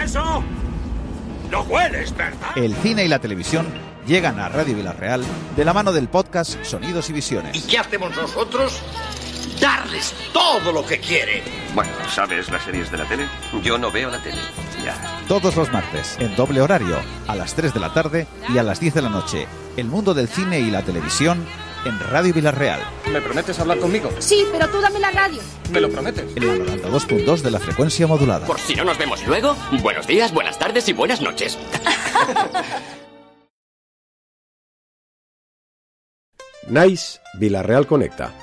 eso? ¿Lo hueles, verdad? El cine y la televisión llegan a Radio Villarreal de la mano del podcast Sonidos y Visiones. ¿Y qué hacemos nosotros? Darles todo lo que quieren. Bueno, ¿sabes las series de la tele? Yo no veo la tele. Ya. Todos los martes, en doble horario, a las 3 de la tarde y a las 10 de la noche. El mundo del cine y la televisión en Radio Villarreal. ¿Me prometes hablar conmigo? Sí, pero tú dame la radio. ¿Me lo prometes? En la 92.2 de la frecuencia modulada. Por si no nos vemos luego, buenos días, buenas tardes y buenas noches. Nice Villarreal Connecta.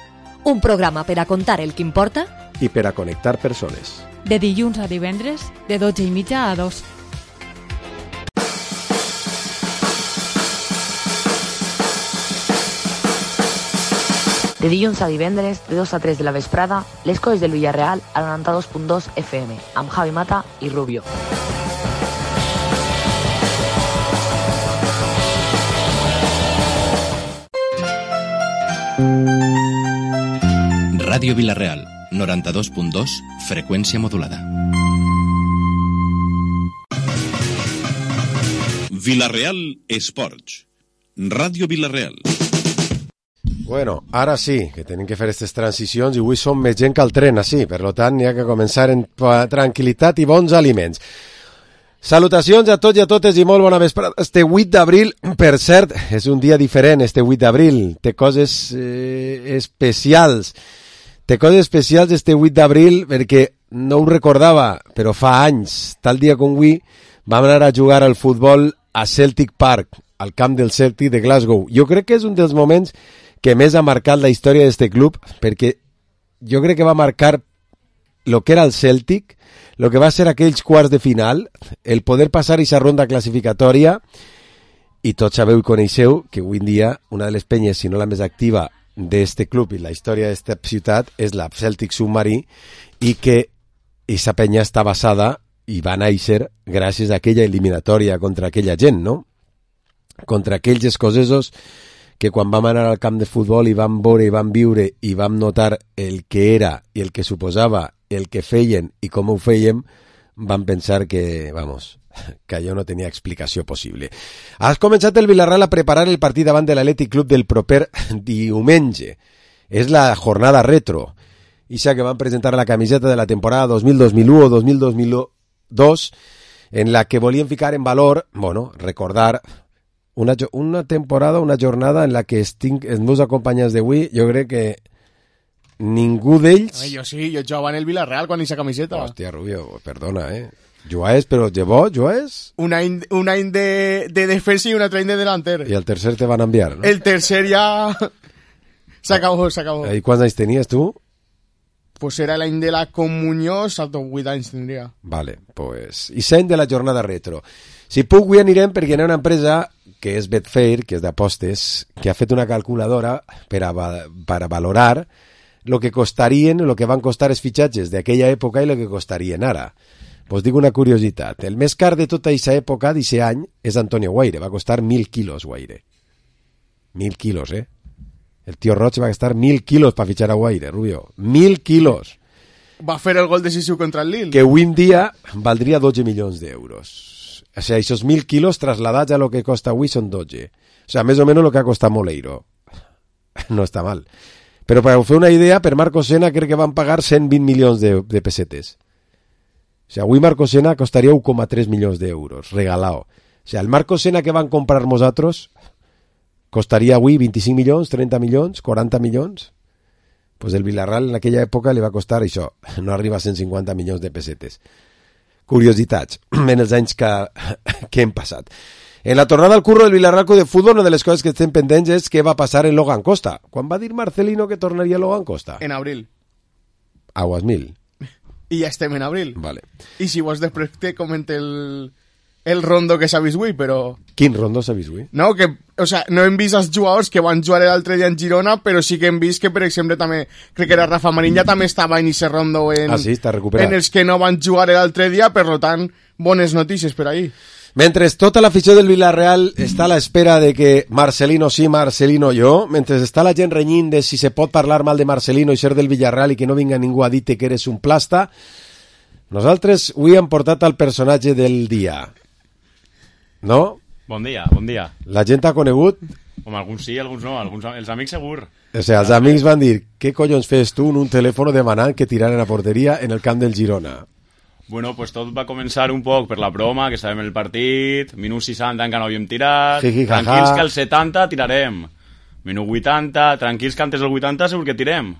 Un programa per a contar el que importa i per a connectar persones. De dilluns a divendres, de 12:30 a 2. De dilluns a divendres, de 2 a 3 de la vesprada, les coses del Villarreal al 92.2 FM, amb Javi Mata i Rubio. Ràdio Villarreal, 92.2, freqüència modulada. Villarreal Esports. Ràdio Villarreal. Bueno, ara sí, que tenim que fer aquestes transicions i avui som més gent que el tren, així. Per tant, hi ha que començar en tranquil·litat i bons aliments. Salutacions a tots i a totes i molt bona vesprada. Este 8 d'abril, per cert, és un dia diferent, este 8 d'abril. Té coses especials. Té coses especials este 8 d'abril perquè no ho recordava, però fa anys, tal dia com avui, vam anar a jugar al futbol a Celtic Park, al camp del Celtic de Glasgow. Jo crec que és un dels moments que més ha marcat la història d'este club, perquè jo crec que va marcar el que era el Celtic, el que va ser aquells quarts de final, el poder passar aquesta ronda classificatòria, i tots sabeu i coneixeu que avui en dia una de les penyes, si no la més activa, d'este club i la història d'esta ciutat és la Celtic Submarine, i que aquesta penya està basada i va néixer gràcies a aquella eliminatòria contra aquella gent, no? Contra aquells escocesos que quan vam anar al camp de futbol i vam veure i vam viure i vam notar el que era i el que suposava, el que feien i com ho fèiem, vam pensar que, vamos, que allò no tenia explicació possible. Has començat el Villarreal a preparar el partit davant de l'Atlètic Club del proper diumenge. És la jornada retro. Ixa que van presentar la camiseta de la temporada 2000-2001 o 2000-2002, en la que volien ficar en valor, bueno, recordar una temporada, una jornada en la que els meus acompanyants d'avui, jo crec que ningú d'ells... Jo sí, jo jugava en el Villarreal quan aquesta camiseta. Hòstia, Rubio, perdona, Jugaes, però llevó, jugaes? Un any de defensa i un altre any de delanter. I el tercer te van enviar, ¿no? El tercer ja... s'acabó. I quants anys tenies tu? Pues era l'any de la comunió, salto 8 anys tindria. Vale, pues... I l'any de la jornada retro. Si puc, avui anirem perquè hi ha una empresa que és Betfair, que és d'apostes, que ha fet una calculadora per a valorar el que costarien, el que van costar els fitxatges d'aquella època i el que costarien ara. Pues dic una curiositat. El més car de tota aquesta època, d'aquest any, és Antonio Guaire. Va costar 1.000 quilos, Guaire. 1.000 quilos, El tio Roig va gastar 1.000 quilos per fitxar a Guaire, Rubio. 1.000 quilos. Va fer el gol decisiu contra el Lille. Que avui en dia valdria 12 milions d'euros. O sea, esos 1.000 kilos trasladats a lo que costa avui són 12. O sea, més o menys lo que ha costat Moleiro. No està mal. Però per fer una idea, per Marco Senna crec que van pagar 120 milions de pesetes. O sea, avui Marco Senna costaria 1,3 milions d'euros, regalado. O sea, el Marco Senna que van comprar nosaltres costaria avui 25 milions, 30 milions, 40 milions. Pues el Villarreal en aquella època li va costar això, no arriba a 150 milions de pesetes. Curiositats en els anys que hem passat. En la tornada al curro del Villarreal de Futbol, una de les coses que estem pendents és què va passar en Logan Costa. Quan va dir Marcelino que tornaria Logan Costa? En abril. Aguas mil. I ja estem en abril. Vale. I si vols després te comente el rondo que s'ha vist avui, però... Quin rondo s'ha vist avui? No, que, o sea, no hem vist els jugadors que van jugar l'altre dia en Girona, però sí que hem vist que, per exemple, també, crec que era Rafa Marín, ja també estava en ese rondo sí, està recuperat. En els que no van jugar l'altre dia, per tant, bones notícies per ahí. Mentre tota l'afició del Villarreal està a l'espera de que Marcelino sí, Marcelino jo, mentre està la gent renyint de si se pot parlar mal de Marcelino i ser del Villarreal i que no vinga ningú a dir-te que eres un plasta, Nosaltres avui hem portat el personatge del dia. No? Bon dia, bon dia. La gent t'ha conegut? Home, alguns sí, alguns no. Els amics segur. O sigui, els amics van dir, què collons fes tu en un telèfon demanant que tiraren a porteria en el camp del Girona? Bueno, pues tot va començar un poc per la broma, que estàvem en el partit, minut 60 encara no havíem tirat, tranquils que al 70 tirarem, minut 80, tranquils que antes del 80 segur que tirem.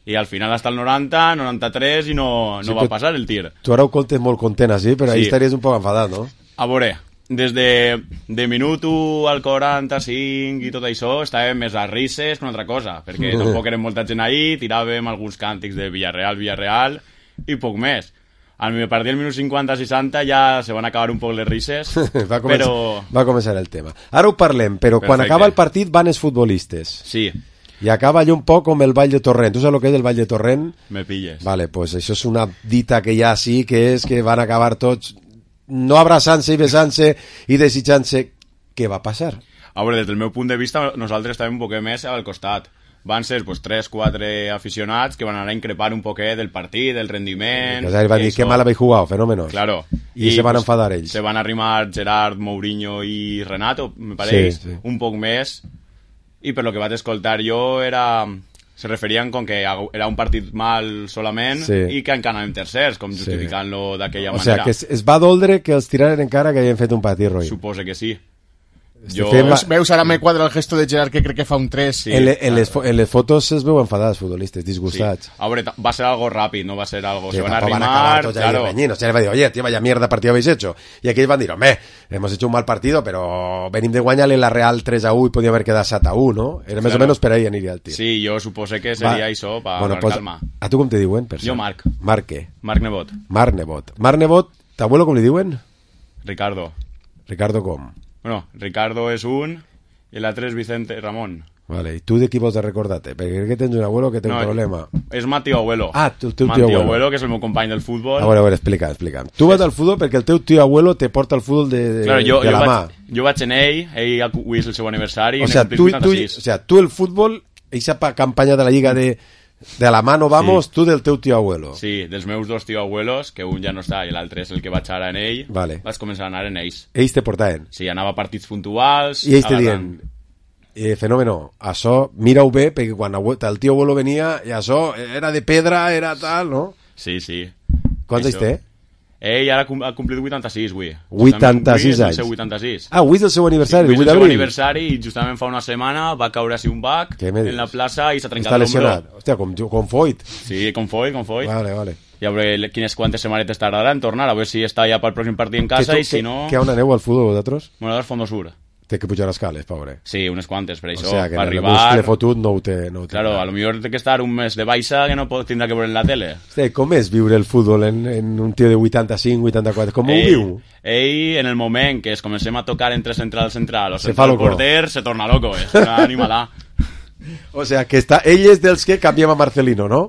I al final hasta el 90, 93 i no va passar el tir. Tu ara ho contes molt content així, però ahí estaries un poc enfadat, no? A veure, des de minut 1 al 45 i tot això estàvem més a risses que una altra cosa, perquè tampoc érem molta gent ahí, tiràvem alguns càntics de Villarreal i poc més. A partir del minut 50-60 ja se van acabar un poc les risses, va començar el tema. Ara ho parlem, però quan acaba el partit van els futbolistes. Sí. I acaba allò un poc com el Ball de Torrent. Tu saps el que és el Ball de Torrent? Me pilles. Vale, pues això és una dita que hi ha sí, que és que van acabar tots no abraçant-se i besant-se i desitjant-se. Què va passar? A veure, des del meu punt de vista, nosaltres estàvem un poquet més al costat. Van ser 3-4 aficionats que van anar a increpar un poquet del partit, del rendiment... Van dir que mal habéis jugado, fenómenos. Claro. I se van enfadar ells. Se van arrimar Gerard, Mourinho i Renato, me pareix, un poc més. I per lo que vaig escoltar jo se referien com que era un partit mal solament i que encara anàvem tercers, com justificant-lo d'aquella manera. O sigui, que es va doldre que els tiraren en cara que havien fet un partit roïn. Supose que sí. Veus, ara me quadra el gesto de Gerard que crec que fa un 3. Sí. En les fotos es veuen enfadats futbolistes, disgustats. Sí. A veure, va ser algo ràpid, no va ser algo... Sí, se van a arrimar, claro. O sea, le va a decir, oye, tío, vaya mierda partido habéis hecho. Y aquí van a decir, hombre, hemos hecho un mal partido, pero venim de guanyar-li la Real 3-1 i podia haver quedat 7-1, no? Era més o menys per ahí aniria el tir. Sí, jo supose que seria això, per calma. A tu com te diuen? Jo Marc. Marc què? Marc Nebot. Marc Nebot. Marc Nebot, t'abuelo com li diuen? Ricardo. Ricardo com? Bueno, Ricardo és un... I l'altre és Vicente Ramon. Vale, i tu de qui vols recordar-te? Perquè crec que tens un abuelo que té un problema. És Matio Abuelo. Ah, el teu tio abuelo, que és el meu company del futbol. A veure, explica. Tu vas al futbol perquè el teu tio abuelo te porta al futbol de la mà. Jo vaig en ell avui és el seu aniversari. O sea, tu el futbol, aquesta campanya de la Lliga de la mano vamos, tu del teu tio abuelo. Sí, dels meus dos tio abuelos, que un ja no està i l'altre és el que vaig ara en ell, vaig començar a anar en ells. Ells te portaven? Sí, anava a partits puntuals. I ells te dient, fenómeno, això mira-ho bé, perquè quan el tio abuelo venia, i això era de pedra, era tal, no? Sí, sí. Quants anys té? Ell ara ha complit 86, avui. 86 anys. 86. Ah, avui és el seu aniversari, el 8 d'abril. El seu aniversari, i justament fa una setmana va caure així un bac en la plaça i s'ha trencat l'ombro. Està lesionat. Hòstia, com Foyt. Sí, com Foyt. Vale. I a veure quantes setmanetes tardarà en tornar, a veure si està ja pel pròxim partit en casa i si no... Què on aneu al futbol vosaltres? Bueno, al Fondo Sur. Té que pujar escales, pobre. Sí, unes quantes, per això. O sea, que per arribar... el bus fotut no ho té. Claro, a lo millor té que estar un mes de baixa que no tindrà que veure en la tele. Hosti, com és viure el futbol en un tio de 85, 84? Com ho viu? Ell, en el moment que es comencem a tocar entre central o central porter, se torna loco, és una animalà. O sea, que ell és dels que canviem a Marcelino, no?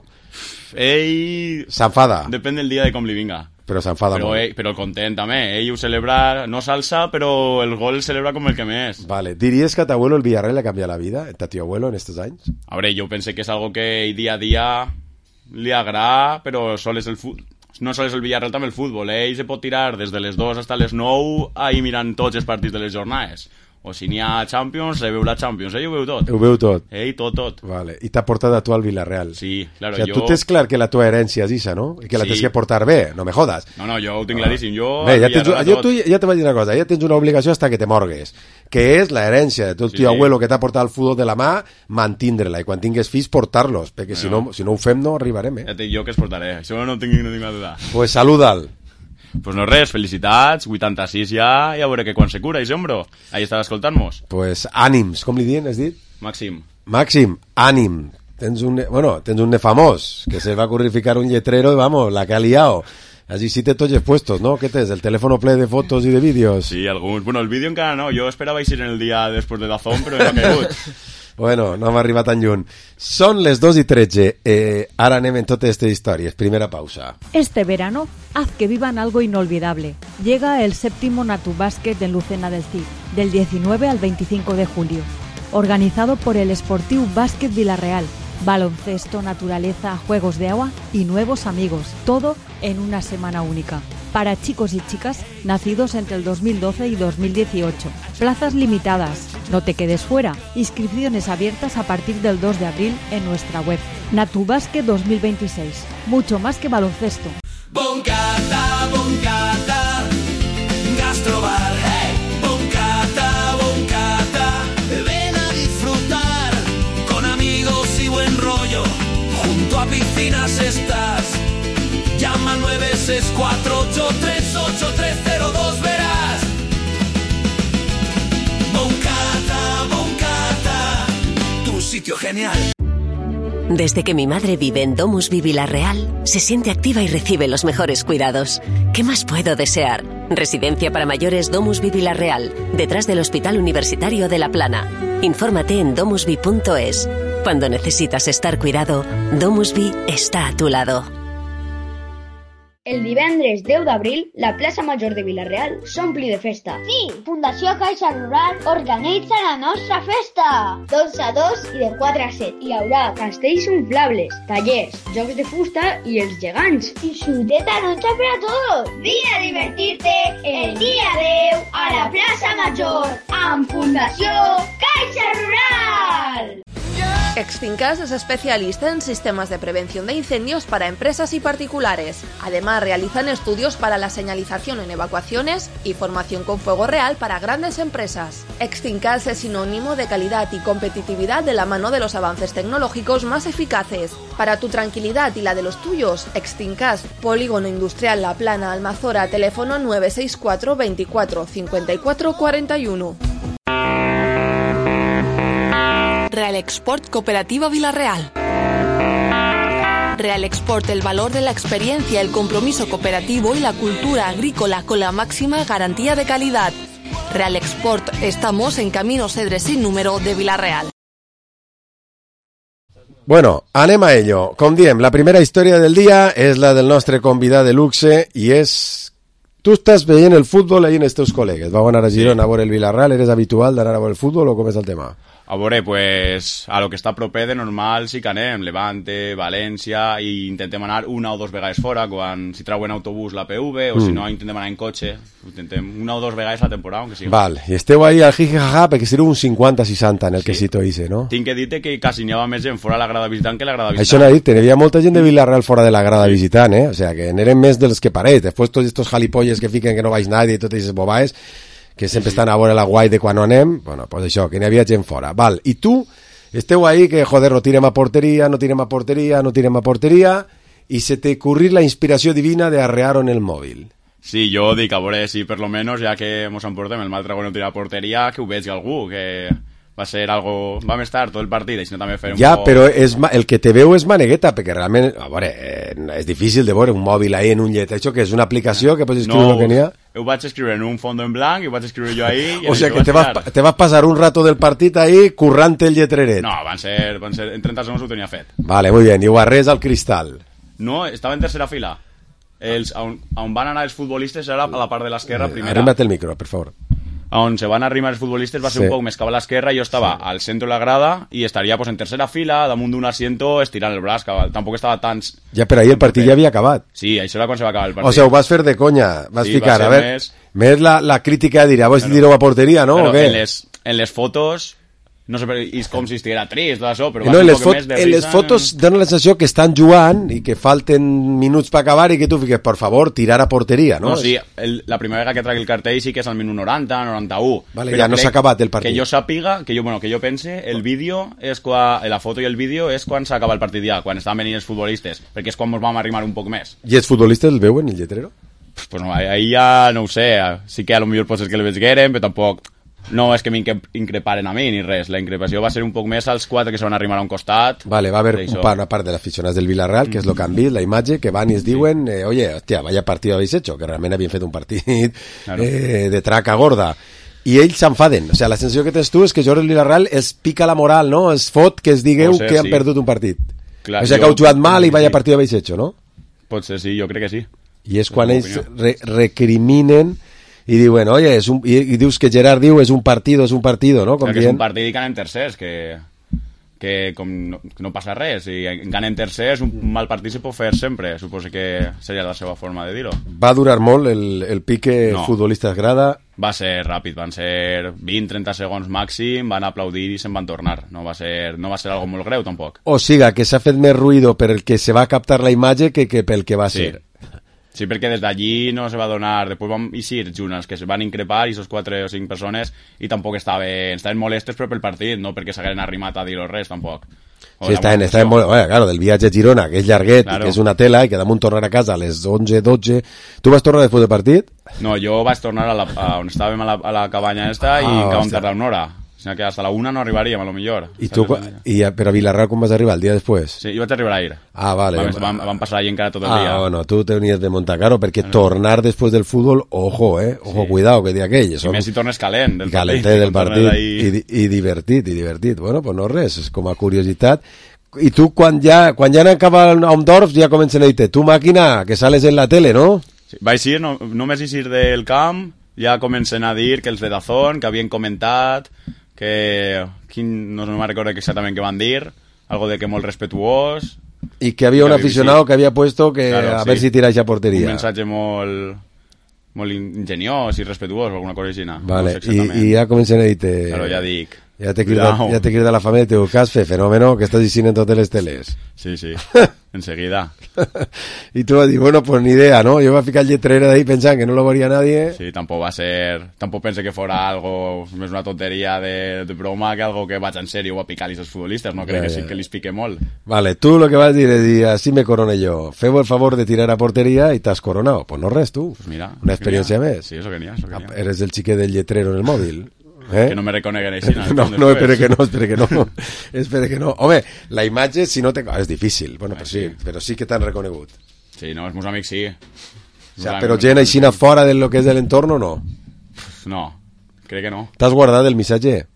Ell... S'enfada. Depèn del dia de com li vinga. Però s'enfada molt. Però content també. Ell ho celebra, no salsa, però el gol el celebra com el que més. Vale. ¿Diries que a tu abuelo el Villarreal le ha cambiado la vida? ¿A tu abuelo en estos años? A veure, jo penso que és algo que dia a dia li agrada, però sols el futbol. No sols el Villarreal, també el futbol. Ell se pot tirar des de les 2 fins a les 9 ahí mirant tots els partits de les jornades. O si n'hi ha Champions, se veu la Champions. Ell ho veu tot. Ho veu tot. Ell tot. Vale. I t'ha portat a tu al Villarreal. Sí, claro. O sea, tu tens clar que la tua herència és isa, no? I que la tens que portar bé. No me jodas. No, jo ho tinc claríssim. Bé, ja te vaig dir una cosa. Ja tens una obligació hasta que te morgues. Que és la herència de tu tio abuelo que t'ha portat el futbol de la mà, mantindre-la. I quan tingues fills, portar-los. Perquè si no ho fem, no arribarem, Ja et dic jo que es portaré. Això no tinc una duda. Pues saluda'l. Pues no res, felicitats, 86 ja, i a veure que quan se cura, i sembro. Ahí estava escoltant-nos. Pues ànims, com li diuen, has dit? Màxim, ànim. Tens un famós, que se va currificar un lletrero i vamos, la que ha liado. Allí sí te tots puestos, ¿no? ¿Qué tens? ¿El teléfono ple de fotos y de vídeos? Sí, alguns. Bueno, el vídeo encara no. Jo esperava ir en el dia després de Dazón, però no ha caigut. Bueno, no hem arribat tan lluny. Són les 2:13. Ara anem en totes aquestes històries. Primera pausa. Este verano, haz que vivan algo inolvidable. Llega el 7º Natubàsquet en Lucena del Cid, del 19 al 25 de julio. Organizado por el Esportiu Bàsquet Villarreal, baloncesto, naturaleza, juegos de agua y nuevos amigos. Todo en una semana única. Para chicos y chicas nacidos entre el 2012 y 2018. Plazas limitadas. No te quedes fuera. Inscripciones abiertas a partir del 2 de abril en nuestra web. Natubasket 2026. Mucho más que baloncesto. Boncata, boncata, gastrobar, hey. Boncata, boncata, ven a disfrutar con amigos y buen rollo. Junto a piscinas estás. Llama al 964838302, verás. Boncata, boncata, tu sitio genial. Desde que mi madre vive en DomusVi Vila-real, se siente activa y recibe los mejores cuidados. ¿Qué más puedo desear? Residencia para mayores DomusVi Vila-real, detrás del Hospital Universitario de La Plana. Infórmate en domusvi.es. Cuando necesitas estar cuidado, DomusVi està a tu lado. El divendres 10 d'abril, la plaça Major de Vila-real s'ompli de festa. Sí, Fundació Caixa Rural organitza la nostra festa. D'11 a 2 i de 4 a 7. Hi haurà castells inflables, tallers, jocs de fusta i els gegants. I xuteta noche per a tots. Vine a divertir-te el dia 10 a la plaça Major amb Fundació Caixa Rural. Extincas es especialista en sistemas de prevención de incendios para empresas y particulares. Además, realizan estudios para la señalización en evacuaciones y formación con fuego real para grandes empresas. Extincas es sinónimo de calidad y competitividad de la mano de los avances tecnológicos más eficaces. Para tu tranquilidad y la de los tuyos, Extincas, Polígono Industrial La Plana, Almazora, teléfono 964 24 54 41. Real Export Cooperativa Vila-real. Real Export, el valor de la experiencia, el compromiso cooperativo y la cultura agrícola con la máxima garantía de calidad. Real Export, estamos en Camino Cedres sin número de Vila-real. Bueno, anem a ello. Com diem, la primera història del dia és la del nostre convidat de luxe i és... Tu estàs veient el futbol ahí en els teus col·legues. Vau anar a Girona a veure el Vila-real. Eres habitual d'anar a veure el futbol o com és el tema? A veure, pues, a lo que està proper de normal sí que anem, Levante, València, i intentem anar una o dos vegades fora, si trauen autobús la PV, o si no intentem anar en cotxe, intentem una o dos vegades la temporada, aunque sigui. Val, i esteu ahí al jijijaja perquè sereu un 50-60 en el quesito ise, no? Tinc que dir-te que quasi n'hi havia més gent fora de la grada visitant que la grada visitant. Això n'ha dit, n'hi havia molta gent de Vila-real fora de la grada visitant, O sea, que n'eren més dels que pareix. Després tots estos jalipolles que fiquen que no vaig nadie i totes aquestes bobaes que sempre estan a veure la guai de quan no anem, bueno, pues això, que n'hi havia gent fora. Val, i tu esteu ahí que, joder, no tirem a porteria, no tirem a porteria, no tirem a porteria, i se te ocurrir la inspiració divina de arrear-ho en el mòbil. Sí, jo dic, a veure, si per lo menos, ja que mos emportem el mal trago no tirar a porteria, que ho vegi algú, que va ser algo... Vam estar tot el partit, i si no també fer un ja, poc... però el que te veu és manegueta, perquè realment, a veure, és difícil de veure un mòbil ahí en un llet, això que és una aplicació que pots escriure el que n'hi ha. Ho vaig escriure en un fondo en blanc i ho vaig escriure jo ahí... O sea que te vas passar un rato del partit ahí currant el lletreret. No, van ser en 30 segons ho tenia fet. Vale, muy bien, i ho arres al cristal. No, estava en tercera fila. On van anar els futbolistes era a la part de l'esquerra primera. Arrímate el micro, per favor. On se van arrimar els futbolistes va ser un poc més cap a l'esquerra i jo estava al centre de la grada i estaria pues, en tercera fila, damunt d'un asiento, estirant el braç, tampoc estava tan... Ja, però ahir el partit ja havia acabat. Sí, això era quan se va acabar el partit. O sigui, ho vas fer de conya, vas ficar, va a veure, més la crítica de dir, vols dir-ho a porteria, no? Però o què? En les fotos... No sé, és com si estiguera trist, tot això, però no, en les fotos donen la sensació que estan jugant i que falten minuts per acabar i que tu fiques, per favor, tirar a porteria, no? No, sí, la primera vegada que tragui el cartell sí que és al minut 90, 91. Vale, ja no s'ha acabat el partit. Que jo sàpiga, que jo pense, el vídeo és quan, la foto i el vídeo és quan s'acaba el partit ja, quan estaven venint els futbolistes, perquè és quan ens vam arrimar un poc més. I els futbolistes el veuen, el lletrero? Pues no, ahí ja no ho sé, sí que a lo millor pot ser que el veigueren, però tampoc... No és que m'increparen a mi ni res, la increpació va ser un poc més als 4 que se van arrimar a un costat. Vale, va haver una part de l'aficionats del Vila-real, que és lo que han vist, la imatge, que van i es diuen, oye, hòstia, vaya partido habéis hecho, que realment havien fet un partit de traca gorda. I ells s'enfaden, o sigui, la sensació que tens tu és que Jordi Vila-real es pica la moral, no? Es fot que es digueu que han perdut un partit. O sigui, que heu jugat mal i vaya partido habéis hecho, no? Pot ser, sí, jo crec que sí. I és quan ells recriminen i diuen, oye, i dius que Gerard diu és un partido, no? Com que és un partit i que anem tercers, que que com no passa res, i ganen tercers, un mal partit se pot fer sempre, suposo que seria la seva forma de dir-ho. Va durar molt el pique futbolista grada? Va ser ràpid, van ser 20-30 segons màxim, van aplaudir i se'n van tornar. No va ser algo molt greu, tampoc. O sigui, que s'ha fet més ruïdo per el que se va captar la imatge que pel que va ser. Sí, perquè des d'allí no se va donar... Després vam eixir junts, que se van increpar, i esos 4 o 5 persones, i tampoc estaven molestes però pel partit, no perquè s'hagueren arrimat a dir-ho res, tampoc. Sí, estaven molt... Claro, del viatge a Girona, que és llarguet, claro, que és una tela, i que damunt tornar a casa a les 11, 12... Tu vas tornar després del partit? No, jo vaig tornar a on estàvem a la cabanya esta i que vam tardar una hora. O sigui que hasta la 1 no arribaríem, a lo millor. Però a Vilarreal com vas arribar, el dia després? Sí, jo vaig arribar ahir. Ah, vale. Vam passar allí encara tot el dia. Ah, bueno, tu tenies de montar caro, perquè tornar després del futbol, ojo, ojo, cuidado, que dia aquell. I més si tornes calent del partit. Calentet del partit, i divertit. Bueno, pues no res, és com a curiositat. I tu, quan ja han acabat a Ondorf, ja comencen a dir-te, tu màquina, que sales en la tele, no? Sí, vaig ir, només eixir del camp, ja comencen a dir que els de Dazón, que havien comentat, que no me recordo exactament què van dir, algo de que molt respetuós, i que havia un aficionado que havia puesto que claro, a ver si tira a porteria, un mensatge molt ingeniós i respetuós o alguna cosa així. Vale, i ja comencen a dir-te, claro, ja dic, ja te crida la família, te diu, què has fet, fenómeno, que estàs dient en totes les teles. Sí, enseguida. I tu vas dir, bueno, pues ni idea, ¿no? Yo me voy a ficar el lletrero de ahí pensando que no lo vería nadie. Sí, tampoco pensé que fuera algo, més una tonteria de broma que algo que vaig en serio o a picar-los els futbolistes, no? Crec que sí que li pique molt. Vale, tú lo que vas a decir es, así me coroné yo. Feu el favor de tirar a portería y t'has coronado. Pues no res, tú. Pues mira, una experiencia més. Sí, eso que n'hi ha. Eres el xiquet del lletrero en el móvil. Que no me reconeguen així. No, espere que no. Home, la imatge, si no te... és difícil, bueno, però sí que t'han reconegut. Sí, no, els meus amics sí. O sea, però gent així fora de lo que és de l'entorn o no? No, crec que no. T'has guardat el missatge?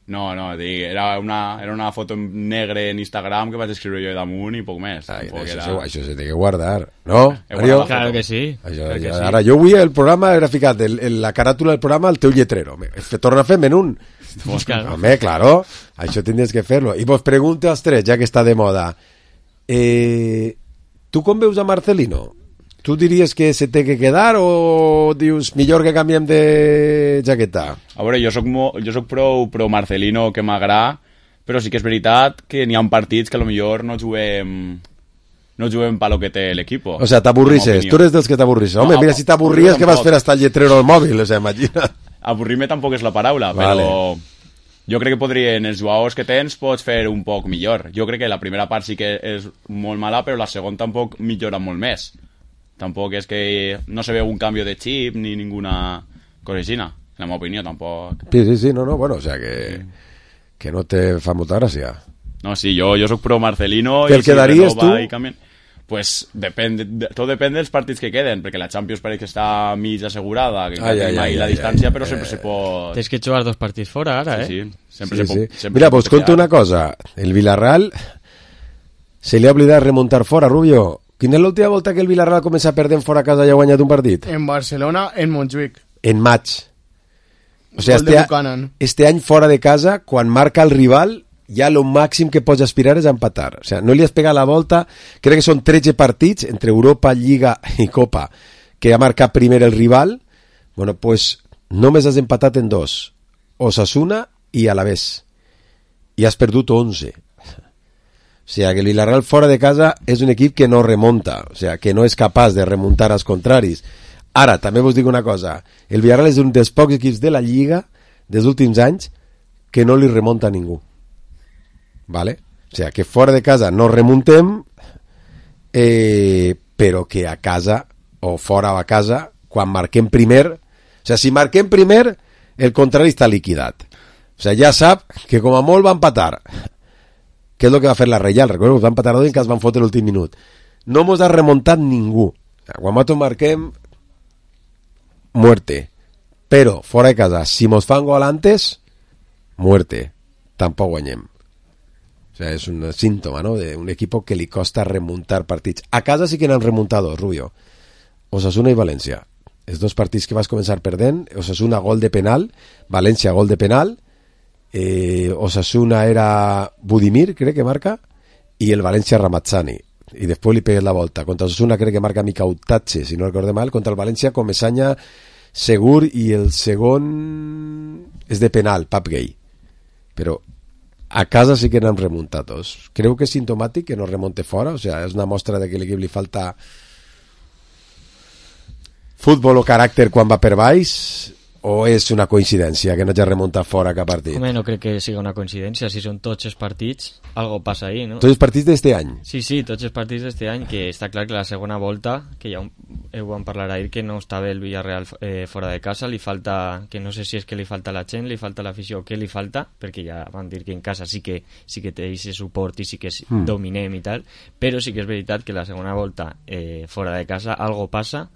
No, era una foto en negre en Instagram que vaig escriure jo damunt i poc més. Això se té que guardar, no? Claro que sí. Ara, jo avui el programa era ficat la caràtula del programa al teu lletrero. Torna a fer-me'n un. Home, claro, això tindries que fer-lo. I vos pregunto als tres, ja que està de moda. Tu com veus a Marcelino? Tu diries que se té que quedar o dius millor que canviem de jaqueta? A veure, jo soc pro Marcelino, que m'agrada, però sí que és veritat que n'hi ha partits que potser no juguem pa lo que té l'equip. O sea, t'avorrisses, tu eres dels que t'avorrisses. Home, mira, si t'avorries, que vas fer hasta el lletrero al mòbil, o sea, imagina't. Avorrir-me tampoc és la paraula, però jo crec que en els jugadors que tens pots fer un poc millor. Jo crec que la primera part sí que és molt mala, però la segona tampoc millora molt més. Tampoc és que no se veu un canvi de xip ni ninguna cosa així, en la meva opinió, tampoc. Sí, no, bueno, o sea que no te fa molta gràcia. No, sí, jo soc pro Marcelino. Te'l quedaries tu? Pues tot depèn dels partits que queden, perquè la Champions pareix que està mig assegurada, que tenim ahí la distància, però sempre se pot... Tens que jugar 2 partits fora, ara, Sí, sempre se pot... Mira, pues conto una cosa. El Villarreal se li ha oblidat remuntar fora, Rubio. Quina és l'última volta que el Villarreal comença a perdre fora a casa i ha guanyat un partit? En Barcelona, en Montjuïc. En maig. O sigui, este any fora de casa, quan marca el rival, ja lo màxim que pots aspirar és a empatar. O sigui, no li has pegat la volta, crec que són 13 partits entre Europa, Lliga i Copa, que ha marcat primer el rival. Bueno, pues només has empatat en 2. Osasuna i Alavés. I has perdut 11. O sigui, que el Villarreal fora de casa és un equip que no remunta, o sigui, que no és capaç de remuntar als contraris. Ara, també vos dic una cosa, el Villarreal és un dels pocs equips de la Lliga dels últims anys que no li remunta a ningú. ¿Vale? O sigui, que fora de casa no remuntem, però que a casa, o fora a casa, quan marquem primer, o sigui, si marquem primer, el contrari està liquidat. O sigui, ja sap que com a molt va empatar. Què és el que va fer la Reial? Recordo que va empatar en cas van fotre l'últim minut. No mos ha remuntat ningú. Quan nosaltres marquem, muerte. Però, fora de casa, si mos fan gol antes, muerte. Tampoc guanyem. O sigui, és un símptoma, ¿no?, d'un equip que li costa remuntar partits. A casa sí que n'han remuntado, Rubio. Osasuna i València. Els 2 partits que vas començar perdent, Osasuna gol de penal, València gol de penal, Osasuna era Budimir, crec que marca, i el València Ramazzani, i després li pegues la volta. Contra Osasuna crec que marca Micautache, si no recordo mal. Contra el València Comesaña, Segur, i el segon és de penal, Pap Gay. Però a casa sí que n'han remuntat dos. Creu que és sintomàtic que no remonte fora? O sea, és una mostra de que l'equip li falta futbol o caràcter quan va per baix, o és una coincidència que no ja remunta fora cap partit? Home, no crec que sigui una coincidència. Si són tots els partits, algo passa ahí, no? Tots els partits d'este any? Sí, tots els partits d'este any, que està clar que la segona volta, que ja ho vam parlar ahir, que no estava el Villarreal fora de casa, li falta, que no sé si és que li falta la gent, li falta l'afició, què li falta, perquè ja van dir que en casa sí que té ese suport i sí que dominem i tal, però sí que és veritat que la segona volta fora de casa algo passa,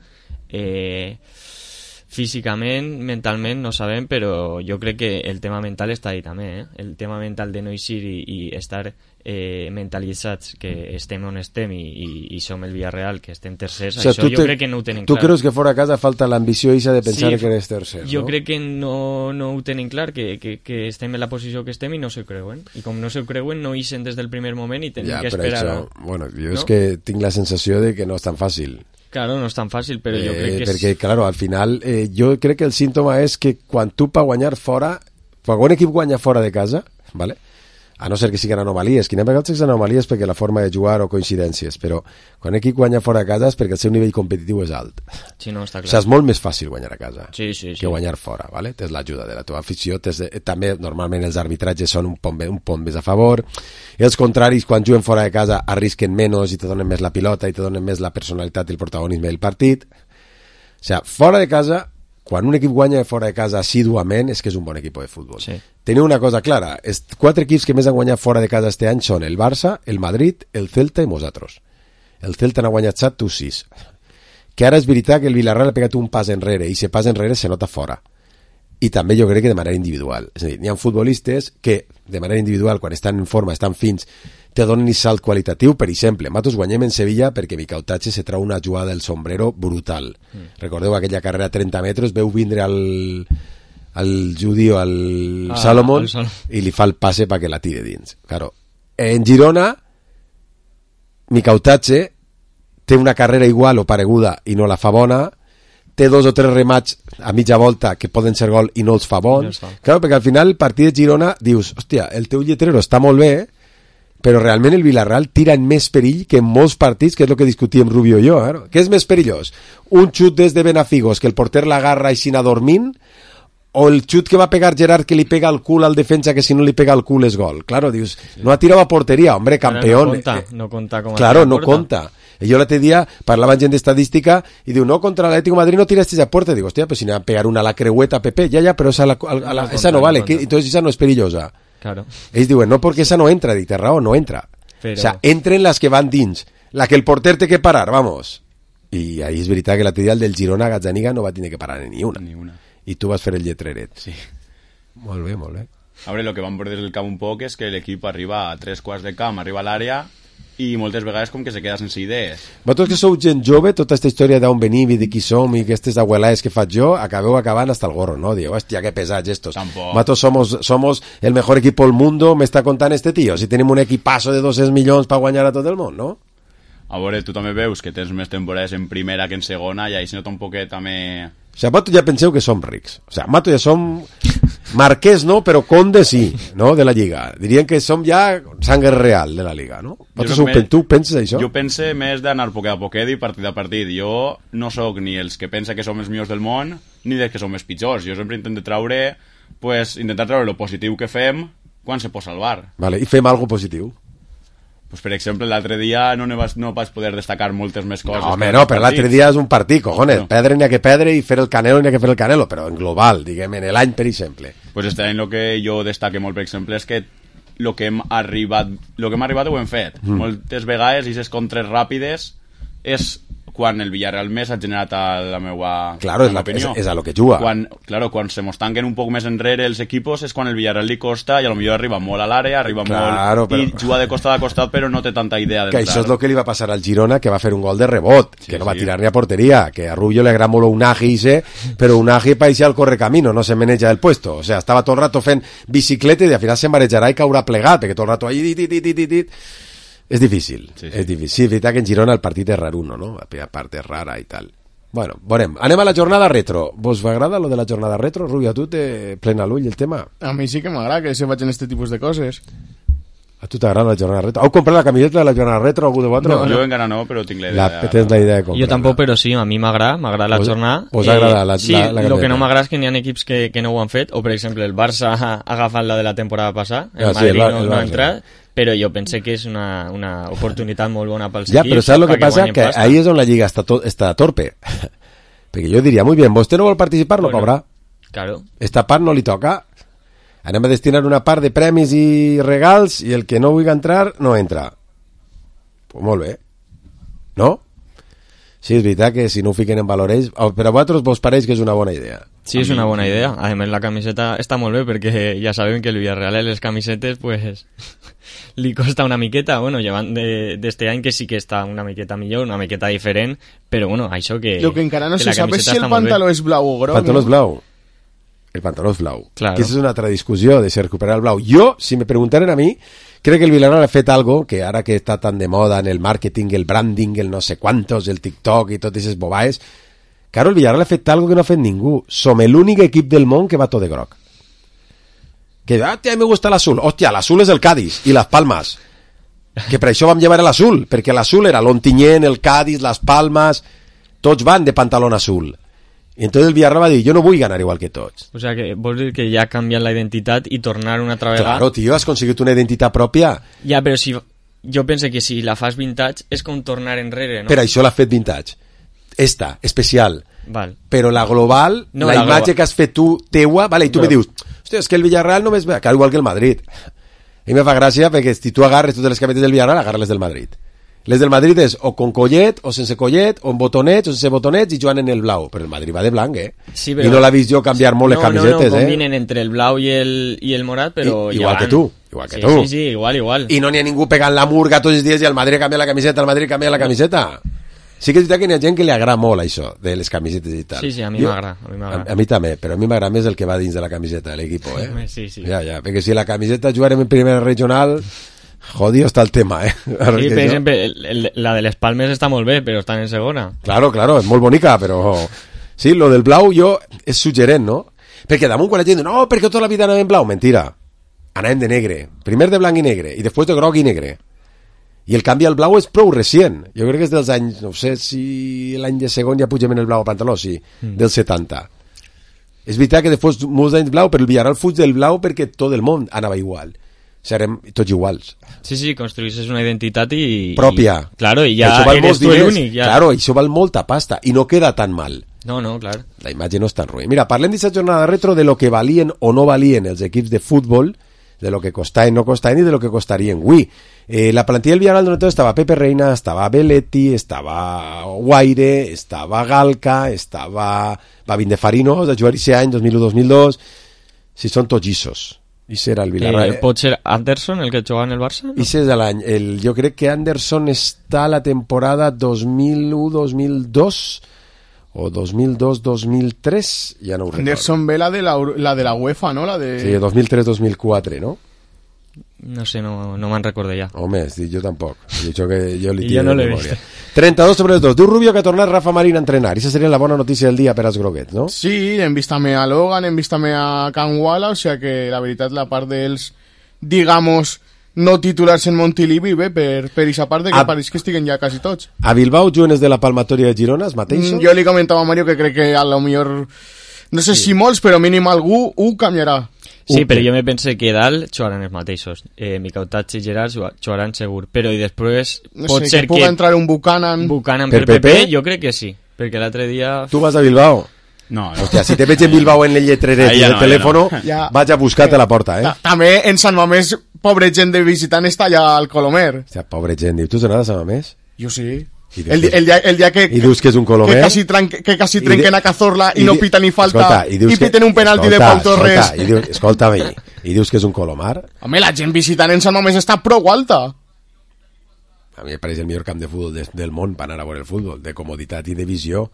físicament, mentalment no sabem, però jo crec que el tema mental està ahí també, el tema mental de no eixir i estar mentalitzats que estem on estem i som el Villarreal, que estem tercers, això jo crec que no ho tenen clar. Tu creus que fora a casa falta l'ambició eixa de pensar que eres tercer, no? Jo crec que no ho tenen clar, que estem en la posició que estem i no s'ho creuen, i com no s'ho creuen no ixen des del primer moment i tenen que esperar. Això, bueno, jo és que tinc la sensació de que no és tan fàcil. Claro, no és tan fàcil, però jo crec que perquè, claro, al final, jo crec que el símptoma és que quan tu per guanyar fora, quan un equip guanya fora de casa, ¿vale? A no ser que siguin anomalies, que n'hi ha vegades que són anomalies perquè la forma de jugar o coincidències, però quan un equip guanya fora de casa és perquè el seu nivell competitiu és alt. Sí, no, està clar. O sigui, és molt més fàcil guanyar a casa que guanyar fora, ¿vale? Tens l'ajuda de la teva afició, també normalment els arbitratges són un pont més a favor, els contraris quan juguen fora de casa arrisquen menys i te donen més la pilota i te donen més la personalitat i el protagonisme del partit. O sigui, fora de casa, quan un equip guanya fora de casa assíduament és que és un bon equip de futbol. Sí. Teniu una cosa clara, els 4 equips que més han guanyat fora de casa este any són el Barça, el Madrid, el Celta i nosaltres. El Celta n'ha guanyat 7, tu 6. Que ara és veritat que el Villarreal ha pegat un pas enrere i si pas enrere se nota fora. I també jo crec que de manera individual. És a dir, hi ha futbolistes que de manera individual, quan estan en forma, estan fins, te donen un salt qualitatiu. Per exemple, nosaltres guanyem en Sevilla perquè Micautache se trau una jugada del sombrero brutal. Recordeu aquella carrera a 30 metres, veu vindre al judio, al Salomón, i li fa el passe perquè la tire dins. Claro. En Girona, Micautache té una carrera igual o pareguda i no la fa bona, té 2 o 3 remats a mitja volta que poden ser gol i no els fa bons. Claro, perquè al final el partit de Girona dius, hòstia, el teu lletrero està molt bé, però realment el Villarreal tira en més perill que en molts partits, que és el que discutíem Rubio i jo. Què és més perillós? Un xut des de Benafigos, que el porter l'agarra i s'hi anar dormint, o el xut que va pegar Gerard que li pega al cul al defensa que si no li pega al cul és gol? Claro, dius, no ha tirat a porteria, hombre, campeón. No conta com a claro, no conta. Jo l'altre dia parlava amb gent d'estadística i diu, no, contra l'Atlético de Madrid no tiraste a puerta. Digo, hostia, pues si n'hi ha a pegar una a la creueta, Pepe, ya, pero esa no vale, entonces esa no es perillosa. Claro. Ells diuen, no, perquè esa no entra, dic, té raó, no entra. Pero... O sea, entren les que van dins, la que el porter té que parar, vamos. I ahí és veritat que l'altre dia el del Girona Gazzaniga no va tenir que parar ni una. I tu vas fer el lletreret. Sí. Molt bé, molt bé. A veure, el que vam veure des del camp un poc és que l'equip arriba a 3 quarts de camp, arriba a l'àrea i moltes vegades com que se queda sense idees. Vosaltres que sou gent jove, tota aquesta història d'on venim i de qui som i aquestes abuelades que faig jo, acabeu acabant hasta el gorro, ¿no? Digo, hostia, qué pesats estos. Vosaltres somos el mejor equipo del mundo, me está contant este tío. Si tenim un equipazo de 200 milions per guanyar a tot el món, no? A veure, tu també veus que tens més temporades en primera que en segona i ahí se nota un poquet també... O sigui, vosaltres ja penseu que som rics. O sigui, vosaltres ja som marquès, no? Però conde sí, no? De la Lliga. Dirien que som ja sangre real de la Liga, no? Tu penses això? Jo pense més d'anar poquet a poquet i partit a partit. Jo no sóc ni els que pensa que som els millors del món ni dels que som els pitjors. Jo sempre intento intentar treure lo positiu que fem quan se pot salvar. Vale, i fem algo positiu. Pues, per exemple, l'altre dia no vaig poder destacar moltes més coses. No, home, no, però l'altre dia és un partit, cojones. Perdre n'hi ha que perdre i fer el Canelo n'hi ha que fer el Canelo, però en global, diguem, en l'any, per exemple. Pues este any el que jo destaque molt, per exemple, és que el que hem arribat ho hem fet. Moltes vegades, i aquestes contres ràpides, és quan el Villarreal més ha generat a la meva opinió. És a lo que juga. Quan se mos tanquen un poc més enrere els equipos és quan el Villarreal li costa i a lo millor arriba molt a l'àrea, i juga de costat a costat, però no té tanta idea d'entrar. Que això és el que li va passar al Girona, que va fer un gol de rebot, que no va tirar ni a porteria, que a Rubio le agrada molt Unagi, però Unagi parecía al correcamino, no se maneja el puesto. O sea, estava tot el rato fent bicicleta i al final se marejarà i caurà plegat, perquè tot el rato ahí... És difícil, és difícil. Sí, és veritat que en Girona el partit és raruno, no? La part és rara i tal. Bueno, veurem. Anem a la jornada retro. Vos agrada lo de la jornada retro? Rubio, a tu te plena l'ull el tema? A mi sí que m'agrada que se facin este tipus de coses. A tu t'agrada la jornada retro? Heu comprat la camiseta de la jornada retro algú de vosaltres? No, jo encara no, però tinc la idea. Tens la idea de comprar. Jo tampoc, però sí, a mi m'agrada la jornada. Vos agrada la sí, camiseta? Lo que no m'agrada és que n'hi ha equips que no ho han fet, o per exemple el Barça ha agafat la de la temporada passada, el Madrid no ha entrat, però jo pense que és una oportunitat molt bona pels equips. Ja, però saps el que passa? Que ahí és on la Lliga està torpe. Perquè jo diria, muy bien, vostè no vol participar, no cobra. Claro. Esta part no li toca. Anem a destinar una part de premis i regals i el que no vulgui entrar, no entra. Pues molt bé. No? Sí, és veritat que si no ho fiquen en valor ells... Però a vosaltres vos pareix que és una bona idea? Sí, és una bona idea. A més, la camiseta està molt bé perquè ja sabem que el Villarreal les camisetes pues li costa una miqueta. Bueno, llevant d'este any que sí que està una miqueta millor, una miqueta diferent, però bueno, això que... Lo que encara no se sabe si el pantaló és blau o groc. El pantaló és blau. El pantaló és blau. Claro. Que és una altra discussió de si recuperar el blau. Jo, si me preguntaren a mi, crec que el Villarreal ha fet algo que ara que està tan de moda en el màrqueting, el branding, el no sé quantos, el TikTok i totes aquestes bobaes, claro, el Villarreal ha fet algo que no ha fet ningú. Som l'únic equip del món que va tot de groc. Que, a mi me gusta l'azul. Hòstia, l'azul és el Cádiz i les Palmes. Que per això vam llevar l'azul, perquè l'azul era l'Ontinyent, el Cádiz, les Palmes, tots van de pantalón azul. I entonces el Villarreal va dir, jo no vull ganar igual que tots. O sea, que vols dir que ja ha canviat la identitat i tornar una altra vegada... Claro, tio, has aconseguit una identitat pròpia. Ja, però si... Jo penso que si la fas vintage és com tornar enrere, no? Per això l'ha fet vintage. Esta, especial. Val. Però la global, no, la imatge que has fet tu, teua, vale, i tu me dius, hòstia, és que el Villarreal només ve, igual que el Madrid. A mi me fa gràcia perquè si tu agarres totes les camisetes del Villarreal, agarres les del Madrid. Les del Madrid és o con collet, o sense collet, o amb botonets, o sense botonets, i juguen en el blau. Però el Madrid va de blanc, Sí, però... I no l'ha vist jo canviar molt les camisetes, No, combinen entre el blau i el morat, però... Igual que tu, igual que tu. Sí, igual. I no n'hi ha ningú pegant la murga tots els dies i el Madrid canvia la camiseta, el Madrid canvia la camiseta. Sí que és veritat que hi ha gent que li agrada molt això, de les camisetes i tal. Sí, a mi m'agrada. A mi també, però a mi m'agrada més el que va dins de la camiseta de l'equip, Sí. Ja, perquè si la camiseta jugarem en primera regional... Jodido está el tema, Sí, per exemple, la de les Palmes està molt bé, però està en segona. Claro, és molt bonica, però... Sí, lo del blau jo és suggerent, no? Perquè damunt quan la gent diu, no, perquè tota la vida anàvem en blau, mentira. Anàvem de negre. Primer de blanc i negre, i després de groc i negre. I el canvi al blau és prou recient. Jo crec que és dels anys, no sé si l'any de segon ja pugem en el blau a pantaló, sí, del 70. És veritat que després molts anys blau, però el Villarreal fuig del blau perquè tot el món anava igual. Serem tots iguals. Sí, construïssis una identitat i... pròpia. Claro, i ja eres tu l'únic. Ja. Claro, això val molta pasta i no queda tan mal. No, clar. La imatge no és tan ruïna. Mira, parlem d'aquesta jornada retro de lo que valien o no valien els equips de futbol, de lo que costaven, no costaven i de lo que costarien avui. La plantilla del Villarreal donde estava Pepe Reina, estava Belletti, estava Guaire, estava Galca, estava Babin de Farino, de jugar aquest any, 2001-2002. Si són tots llissos. I serà el Villarreal. Pot ser Anderson, el que jugava en el Barça? No? I és de l'any. Jo crec que Anderson està a la temporada 2001-2002 o 2002-2003, ja no ho recordo. Anderson ve la de la UEFA, no? Sí, 2003-2004, no? No sé, no me'n recordo ja. Home, jo tampoc. Jo li tiro no de memòria. 32/2. Diu Rubio que ha tornat Rafa Marín a entrenar. I aquesta seria la bona notícia del dia per als groguets, no? Sí, hem vist també a Logan, hem vist també a Canguala, o sea que la veritat la part dels, digamos, no titulars en Montilivi, bé, per aquesta part de que pareix que estiguen ja quasi tots. A Bilbao, joves de la Palmatoria de Girona, els mateixos? Jo li comentava a Mario que crec que a lo millor, no sé si molts, però mínim algú ho canviarà. Sí, però jo me pense que dalt jugaran els mateixos. Micautats i Gerard jugaran segur. Però i després pot ser que... pugui entrar un Buchanan per PP, jo crec que sí. Perquè l'altre dia... Tu vas a Bilbao? No. Hòstia, si te veig en Bilbao en el lletreret i el telèfon, vaig a buscar-te a la porta, També en Sant Mamés, pobre gent de visitant, està allà al Colomer. Hòstia, pobre gent. Tu has anat a Sant Mamés? Jo sí. El día que... I dius que és un colomer? Que quasi trenquen a Cazorla i no pita ni falta, i piten un penalti de Pau Torres. Escolta-me, i dius que és un colomar? Home, la gent visitant en Sant Mamés està prou alta. A mi em pareix el millor camp de futbol del món per anar a veure el futbol, de comoditat i de visió.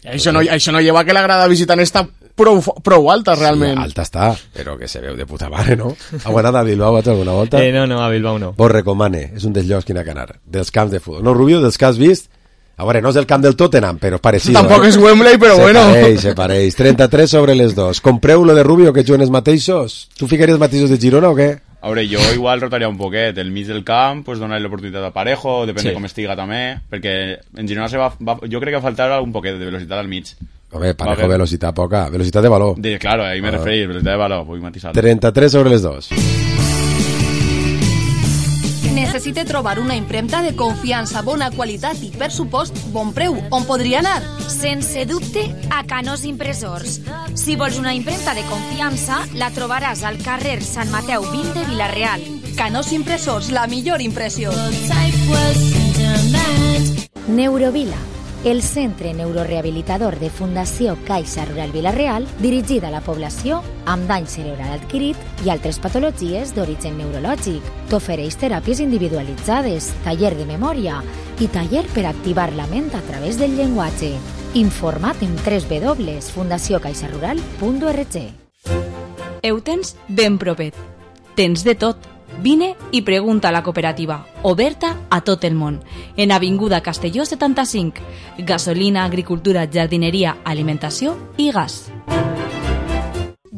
Això no lleva que la grada visitant està prou alta, realment. Sí, alta està, però que se veu de puta mare, no? Heu anat a Bilbao alguna volta? No, a Bilbao no. Vos recomane, és un dels llocs que n'ha que anar, dels camps de futbol. No, Rubio, dels que has vist, a veure, no és el camp del Tottenham, però és parecido. Tampoc és Wembley, però bueno. Se pareix. 33 sobre les 2. Compreu lo de Rubio, que juguen els mateixos? Tu ficaries mateixos de Girona o què? A veure, jo igual rotaria un poquet. El mig del camp, pues donar l'oportunitat a Parejo, depèn de com estiga també, perquè en Girona jo crec que va faltar un poquet de velocitat al mig. Home, Parejo, velocitat poca, velocitat de valor. Claro, ahí me referís, velocitat de valor, vull matisar. 33 sobre les 2. Necessite trobar una impremta de confiança, bona qualitat i, per supost, bon preu. On podria anar? Sense dubte, a Canós Impressors. Si vols una impremta de confiança, la trobaràs al carrer Sant Mateu 20 de Vila-real. Canós Impressors, la millor impressió. Neurovila, el centre neurorehabilitador de Fundació Caixa Rural Vila-real, dirigit a la població amb dany cerebral adquirit i altres patologies d'origen neurològic. T'ofereix teràpies individualitzades, taller de memòria i taller per activar la ment a través del llenguatge. Informa't en www.fundaciocaixarural.org. Eutens ben propet. Tens de tot. Vine i pregunta a la cooperativa, oberta a tot el món, en Avinguda Castelló 75, gasolina, agricultura, jardinería, alimentació i gas.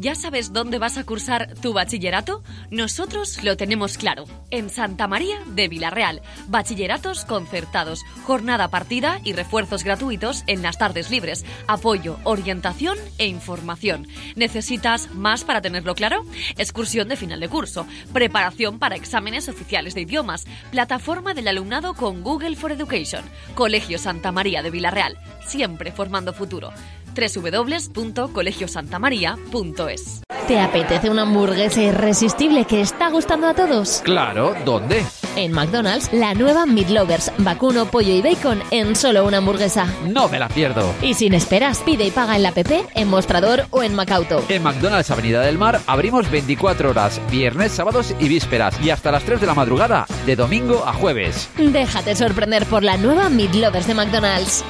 ¿Ya sabes dónde vas a cursar tu bachillerato? Nosotros lo tenemos claro. En Santa María de Vila-real. Bachilleratos concertados, jornada partida y refuerzos gratuitos en las tardes libres. Apoyo, orientación e información. ¿Necesitas más para tenerlo claro? Excursión de final de curso. Preparación para exámenes oficiales de idiomas. Plataforma del alumnado con Google for Education. Colegio Santa María de Vila-real. Siempre formando futuro. www.colegiosantamaria.es. ¿Te apetece una hamburguesa irresistible que está gustando a todos? Claro, ¿dónde? En McDonald's, la nueva Meat Lovers, vacuno, pollo y bacon en solo una hamburguesa. No me la pierdo. Y sin esperas, pide y paga en la app, en Mostrador o en Macauto. En McDonald's Avenida del Mar abrimos 24 horas, viernes, sábados y vísperas, y hasta las 3 de la madrugada, de domingo a jueves. Déjate sorprender por la nueva Meat Lovers de McDonald's.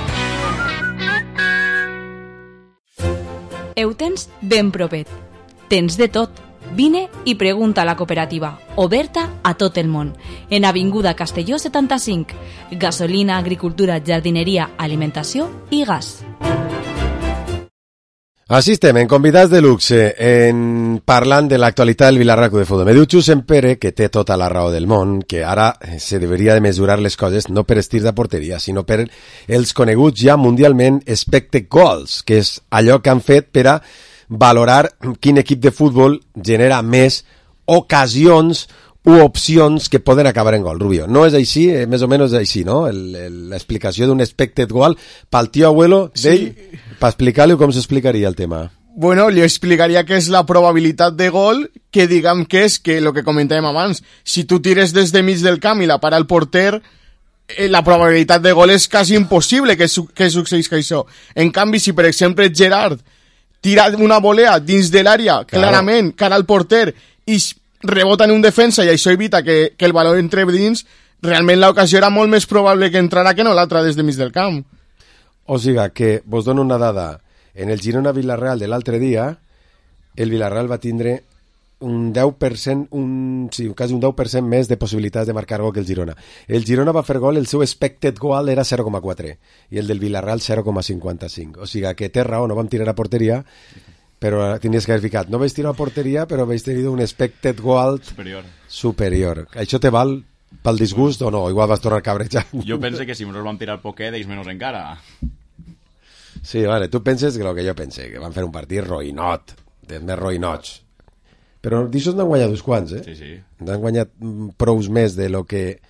Eutens ben propet. Tens de tot. Vine i pregunta a la cooperativa, oberta a tot el món, en Avinguda Castelló 75, gasolina, agricultura, jardineria, alimentació i gas. Així estem, en convidats de luxe, parlant de l'actualitat del Vilarraco de futbol. Me diu Xus Empere, que té tota la raó del món, que ara se deveria de mesurar les coses no per estirs de porteria, sinó per els coneguts ja mundialment expected goals, que és allò que han fet per a valorar quin equip de futbol genera més ocasions u opcions que poden acabar en gol. Rubio, no és així? Més o menys és així, no? L'explicació d'un expected goal pel tio abuelo d'ell, per explicar-li com s'explicaria el tema. Bueno, li explicaria que és la probabilitat de gol, que diguem que és que el que comentàvem abans, si tu tires des de mig del camp i la para el porter, la probabilitat de gol és quasi impossible que succeís això. En canvi, si per exemple Gerard tira una volea dins de l'àrea, clarament, cara al porter, i rebota en un defensa i això evita que el valor entre dins, realment l'ocasió era molt més probable que entrara que no l'altra des de mig del camp. O sigui que, vos dono una dada, en el Girona-Villarreal de l'altre dia, el Villarreal va tindre un 10%, quasi un 10% més de possibilitats de marcar gol que el Girona. El Girona va fer gol, el seu expected goal era 0,4 i el del Villarreal 0,55. O sigui que té raó, no vam tirar a porteria, però tenies que haver ficat. No vaig tirar a porteria, però vaig tenir un expected goal superior. Això te val pel disgust o no? Igual vas tornar cabrejant. Jo pense que si nosaltres vam tirar poquet, ells menys encara. Sí, vale, tu penses que el que jo pense, que van fer un partit roïnot, dels més roïnots. Però d'això n'han guanyat uns quants, eh? Sí, sí. N'han guanyat prous més de lo que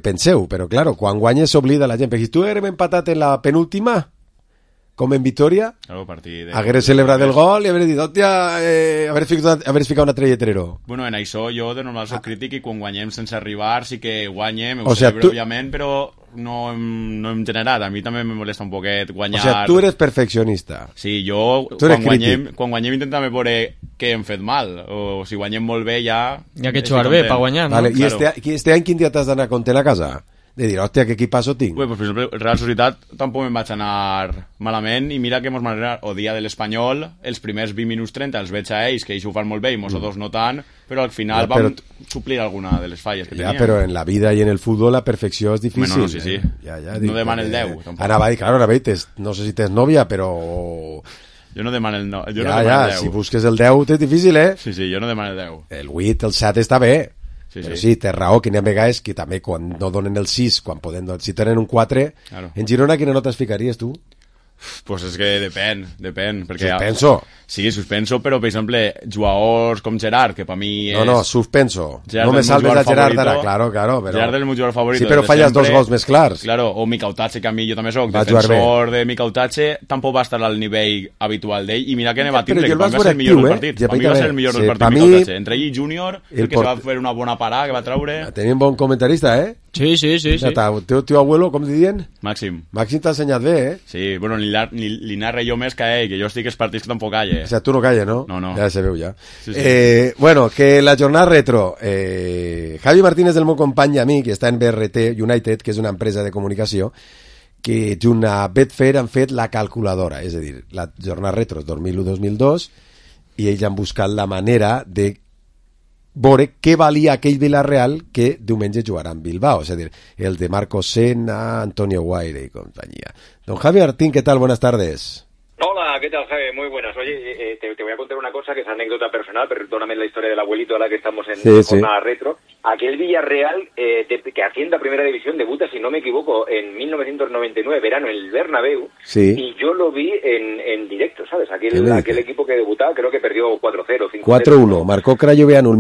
penseu, però claro, quan guanyes s'oblida la gent, perquè si tu hem empatat en la penúltima, com en Vitoria, hagués celebrat el gol i hagués dit, hòstia, hagués ficat un altre lletrero. Bueno, en això jo de normal soc crític i quan guanyem sense arribar sí que guanyem, ho celebro òbviament, però no hem generat. A mi també me molesta un poquet guanyar. O sigui, tu eres perfeccionista. Sí, jo quan guanyem intentem veure què hem fet mal, o si guanyem molt bé ja... Hi ha que jugar bé per guanyar, no? Vale. I este any quin dia t'has d'anar content a casa? De dir, hòstia, que equipazo tinc. Pues, per exemple, el Real Societat tampoc me'n vaig anar malament, i mira que mos manera o dia de l'Espanyol, els primers 20 minuts 30 els veig a ells, que ells ho fan molt bé i nosaltres no tant, però al final vam suplir alguna de les falles que teníem. Ja, però en la vida i en el futbol la perfecció és difícil. Bueno, sí, sí. No demana el 10. Tampoc. Ara va dir, no sé si tens nòvia, però... Jo no demano el 9. Ja, si busques el 10 és difícil, eh? Sí, jo no demano el 10. El 8, el 7 està bé. Però sí, té raó, que n'hi ha vegades que també quan no donen el 6, quan poden, si tenen un 4, en Girona quina nota es ficaries tu? Pues és que depèn. Perquè suspenso. Sí, suspenso, però per exemple, jugadors com Gerard, que per mi és... No, suspenso. Gerard no me salves a Gerard ara, claro, però... Gerard és el meu jugador favorito. Sí, però falles dos gols més clars. Claro, o Mikautache, que a mi jo també soc defensor de Mikautache, tampoc va estar al nivell habitual d'ell, i mira que ne va tindre, que va ser el millor del partit. Per mi va ser el millor del partit Mikautache. Entre ell i Júnior, que se va fer una bona parada, que va traure... Tenim bon comentarista, eh? Sí. Teu abuelo, com diuen? Màxim t'ha ensenyat bé, eh? Sí, bueno, li narra jo més que ell, que jo estic als partits que tampoc calle. O sigui, tu no calle, no? No. Ja se veu, ja. Sí. Bueno, que la jornada retro, Javi Martínez, del meu company i amic, que està en BRT United, que és una empresa de comunicació, que junt a Betfair han fet la calculadora, és a dir, la jornada retro 2001-2002, i ells han buscat la manera de veure què valia aquell Villarreal que diumenge jugarà en Bilbao, és a dir, el de Marco Senna, Antonio Guaire y compañía. Don Javi Martín, ¿qué tal? Buenas tardes. Hola, ¿qué tal, Javi? Muy buenas. Oye, te voy a contar una cosa que es anécdota personal, perdóname la historia del abuelito a la que estamos en jornada retro. Aquel Villarreal que asciende a Primera División debuta, si no me equivoco, en 1999, verano, en el Bernabéu, y yo lo vi en directo, ¿sabes? Aquel equipo que debutaba creo que perdió 4-0, 5-0. 4-1, marcó Crayoveanu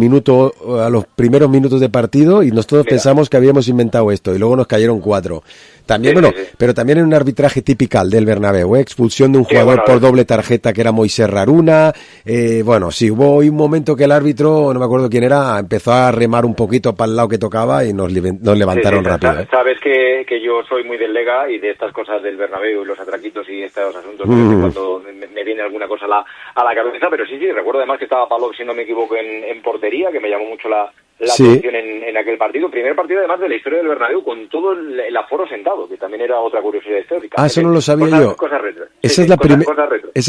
a los primeros minutos de partido y nosotros pensamos que habíamos inventado esto y luego nos cayeron 4. También, pero también en un arbitraje típico del Bernabéu, expulsión de un jugador por doble tarjeta que era Moisés Raruna, sí, hubo un momento que el árbitro, no me acuerdo quién era, empezó a remar un poquito para el lado que tocaba y nos levantaron rápido. Sabes que yo soy muy del Lega y de estas cosas del Bernabéu y los atraquitos y estos asuntos, cuando me viene alguna cosa a la cabeza, pero sí, recuerdo además que estaba Pavlov, si no me equivoco, en portería, que me llamó mucho la atención en aquel partido. Primer partido además de la historia del Bernabéu con todo el aforo sentado, que también era otra curiosidad histórica. Eso no lo sabía yo. Cosas retro. Esa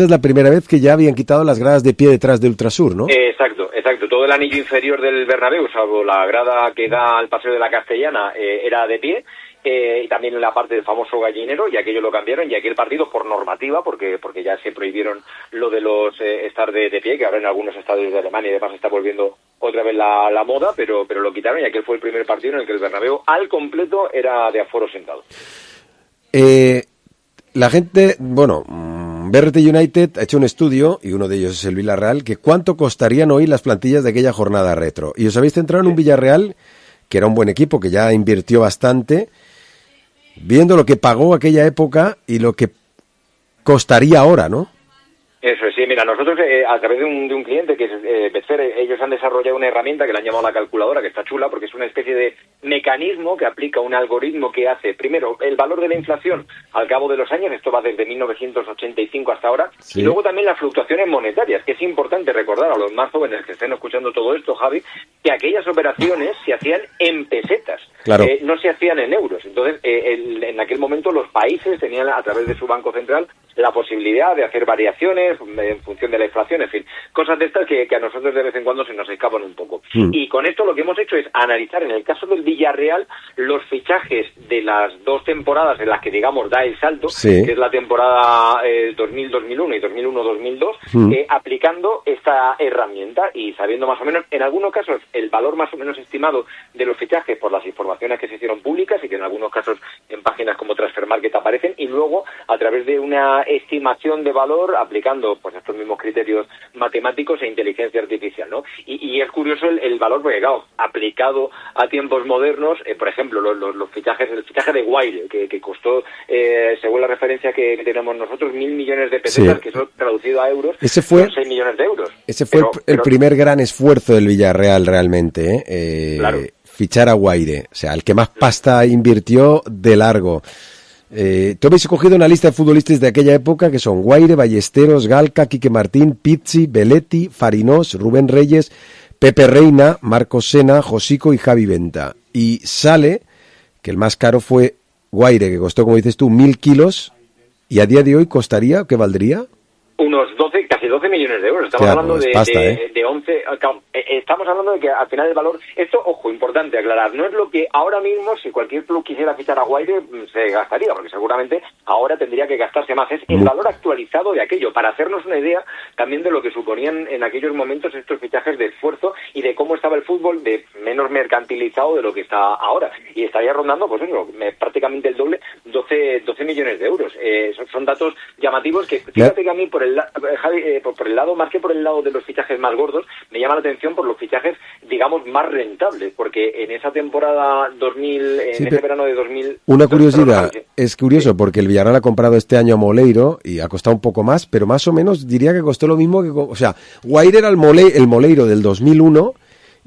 es la primera vez que ya habían quitado las gradas de pie detrás de Ultrasur, ¿no? Exacto. Todo el anillo inferior del Bernabéu, salvo la grada que da al Paseo de la Castellana, era de pie. Y también en la parte del famoso gallinero, y aquello lo cambiaron, y aquel partido por normativa, porque ya se prohibieron lo de los estar de pie, que ahora en algunos estadios de Alemania y demás está volviendo otra vez la moda, pero lo quitaron, y aquel fue el primer partido en el que el Bernabéu al completo era de aforo sentado. La gente, BRT United ha hecho un estudio, y uno de ellos es el Villarreal, que cuánto costarían hoy las plantillas de aquella jornada retro. Y os habéis centrado en un Villarreal que era un buen equipo, que ya invirtió bastante, viendo lo que pagó aquella época y lo que costaría ahora, ¿no? Eso es, sí, mira, nosotros a través de un cliente que es Betfair, ellos han desarrollado una herramienta que le han llamado la calculadora, que está chula porque es una especie de mecanismo que aplica un algoritmo que hace, primero, el valor de la inflación al cabo de los años, esto va desde 1985 hasta ahora, y luego también las fluctuaciones monetarias, que es importante recordar a los más jóvenes que estén escuchando todo esto, Javi, que aquellas operaciones se hacían en pesetas, no se hacían en euros. Entonces, en aquel momento los países tenían a través de su Banco Central la posibilidad de hacer variaciones en función de la inflación, en fin, cosas de estas que a nosotros de vez en cuando se nos escapan un poco. Y con esto lo que hemos hecho es analizar, en el caso del Villarreal, los fichajes de las dos temporadas en las que, digamos, da el salto, que es la temporada 2000-2001 y 2001-2002, aplicando esta herramienta y sabiendo más o menos, en algunos casos, el valor más o menos estimado de los fichajes por las informaciones que se hicieron públicas y que en algunos casos en páginas como Transfermarket aparecen, y luego, a través de una estimación de valor, aplicando utilizando pues estos mismos criterios matemáticos e inteligencia artificial, ¿no? Y es curioso el valor, porque claro, aplicado a tiempos modernos, por ejemplo, los fichajes, el fichaje de Guaire, que costó, según la referencia que tenemos nosotros, 1.000 millones de pesetas, que eso traducido a euros, son 6 millones de euros. Ese fue el primer gran esfuerzo del Villarreal realmente, claro. Fichar a Guaire, o sea, el que más pasta invirtió de largo. Tú habéis cogido una lista de futbolistas de aquella época que son Guaire, Ballesteros, Galca, Quique Martín, Pizzi, Belletti, Farinós, Rubén Reyes, Pepe Reina, Marcos Sena, Josico y Javi Venta. Y sale que el más caro fue Guaire, que costó, como dices tú, 1.000 kilos, y a día de hoy costaría, ¿qué valdría? Unos casi 12 millones de euros. Estamos hablando de 11. Estamos hablando de que al final el valor. Esto, ojo, importante aclarar. No es lo que ahora mismo, si cualquier club quisiera fichar a Guaire, se gastaría, porque seguramente ahora tendría que gastarse más. Es el valor actualizado de aquello, para hacernos una idea también de lo que suponían en aquellos momentos estos fichajes de esfuerzo y de cómo estaba el fútbol de menos mercantilizado de lo que está ahora. Y estaría rondando, pues eso, prácticamente el doble, 12 millones de euros. Son datos llamativos que, fíjate que a mí, por el lado, más que por el lado de los fichajes más gordos, me llama la atención por los fichajes, digamos, más rentables, porque en esa temporada 2000, ese verano de 2000... Una curiosidad, es curioso porque el Villarreal ha comprado este año a Moleiro y ha costado un poco más, pero más o menos diría que costó lo mismo que... O sea, Guaire era el Moleiro del 2001...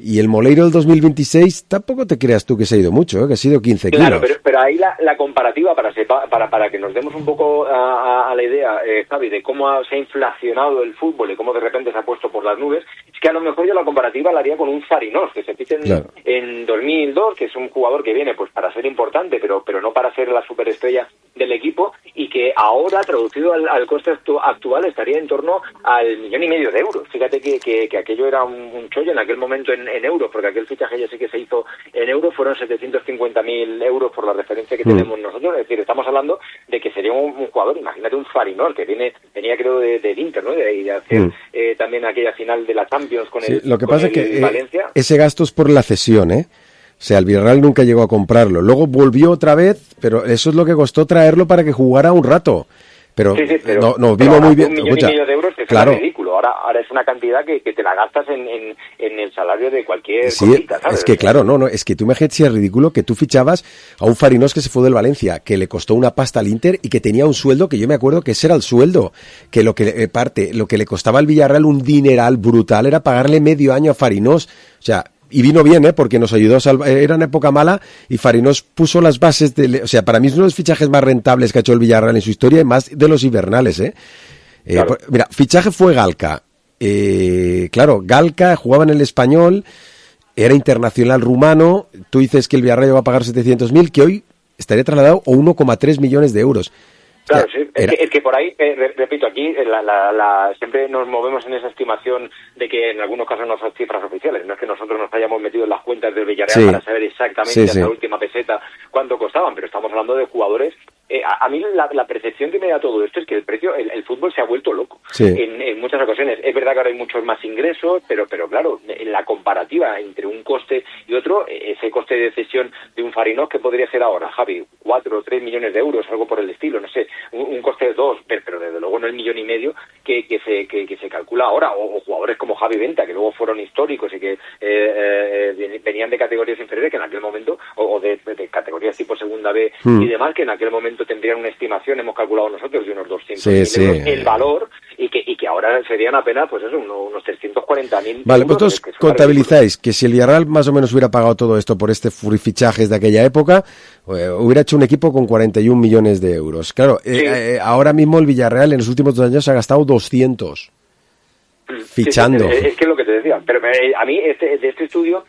Y el Moleiro del 2026 tampoco te creas tú que se ha ido mucho, que ha sido 15 kilos. Claro, pero ahí la comparativa, para que nos demos un poco a la idea, Javi, de cómo se ha inflacionado el fútbol y cómo de repente se ha puesto por las nubes, es que a lo mejor yo la comparativa la haría con un Farinós, que se ficha en 2002, que es un jugador que viene pues para ser importante, pero no para ser la superestrella del equipo, y que ahora, traducido al coste actual, estaría en torno al 1,5 millones de euros. Fíjate que aquello era un chollo en aquel momento en euros, porque aquel fichaje ya sí que se hizo en euros, fueron 750.000 euros por la referencia que tenemos nosotros. Es decir, estamos hablando de que sería un jugador, imagínate un Farinós, que venía creo del Inter, ¿no? Y de hacer también aquella final de la Champions con el lo que pasa es que Valencia. Ese gasto es por la cesión, O sea, el Villarreal nunca llegó a comprarlo. Luego volvió otra vez, pero eso es lo que costó traerlo para que jugara un rato. Pero, no vino muy bien. 1,5 millones de euros es ridículo. Ahora es una cantidad que te la gastas en el salario de cualquier cosita, ¿sabes? Es que claro, es que tú imagínate si es ridículo que tú fichabas a un Farinós que se fue del Valencia, que le costó una pasta al Inter y que tenía un sueldo que yo me acuerdo que ese era el sueldo, que lo que le costaba al Villarreal un dineral brutal era pagarle medio año a Farinós. O sea, y vino bien, porque nos ayudó a salvar. Era una época mala y Farinós puso las bases o sea, para mí es uno de los fichajes más rentables que ha hecho el Villarreal en su historia y más de los invernales, Claro. Mira, fichaje fue Galca. Claro, Galca jugaba en el Español, era internacional rumano. Tú dices que el Villarreal va a pagar 700.000, que hoy estaría trasladado a 1,3 millones de euros. Claro, sí. Es que por ahí, repito, aquí siempre nos movemos en esa estimación de que en algunos casos no son cifras oficiales. No es que nosotros nos hayamos metido en las cuentas del Villarreal para saber exactamente hasta la última peseta cuánto costaban, pero estamos hablando de jugadores. A mí la percepción que me da todo esto es que el precio, el fútbol se ha vuelto loco en muchas ocasiones. Es verdad que ahora hay muchos más ingresos, pero claro, en la comparativa entre un coste y otro, ese coste de cesión de un Farinós, que podría ser ahora, Javi, 4 o 3 millones de euros, algo por el estilo, no sé, un coste de 2, pero desde luego no el 1,5 millones que se calcula ahora, o jugadores como Javi Venta, que luego fueron históricos y que venían de categorías inferiores, que en aquel momento, o de categorías tipo segunda B y demás, que en aquel momento tendrían una estimación, hemos calculado nosotros, de unos 200.000 euros el valor, y que ahora serían apenas, pues eso, unos 340.000 Vale, vosotros contabilizáis que si el Villarreal más o menos hubiera pagado todo esto por este fichajes de aquella época, hubiera hecho un equipo con 41 millones de euros. Claro, ahora mismo el Villarreal en los últimos 2 años ha gastado 200 fichando. Es que es lo que te decía, pero a mí de este estudio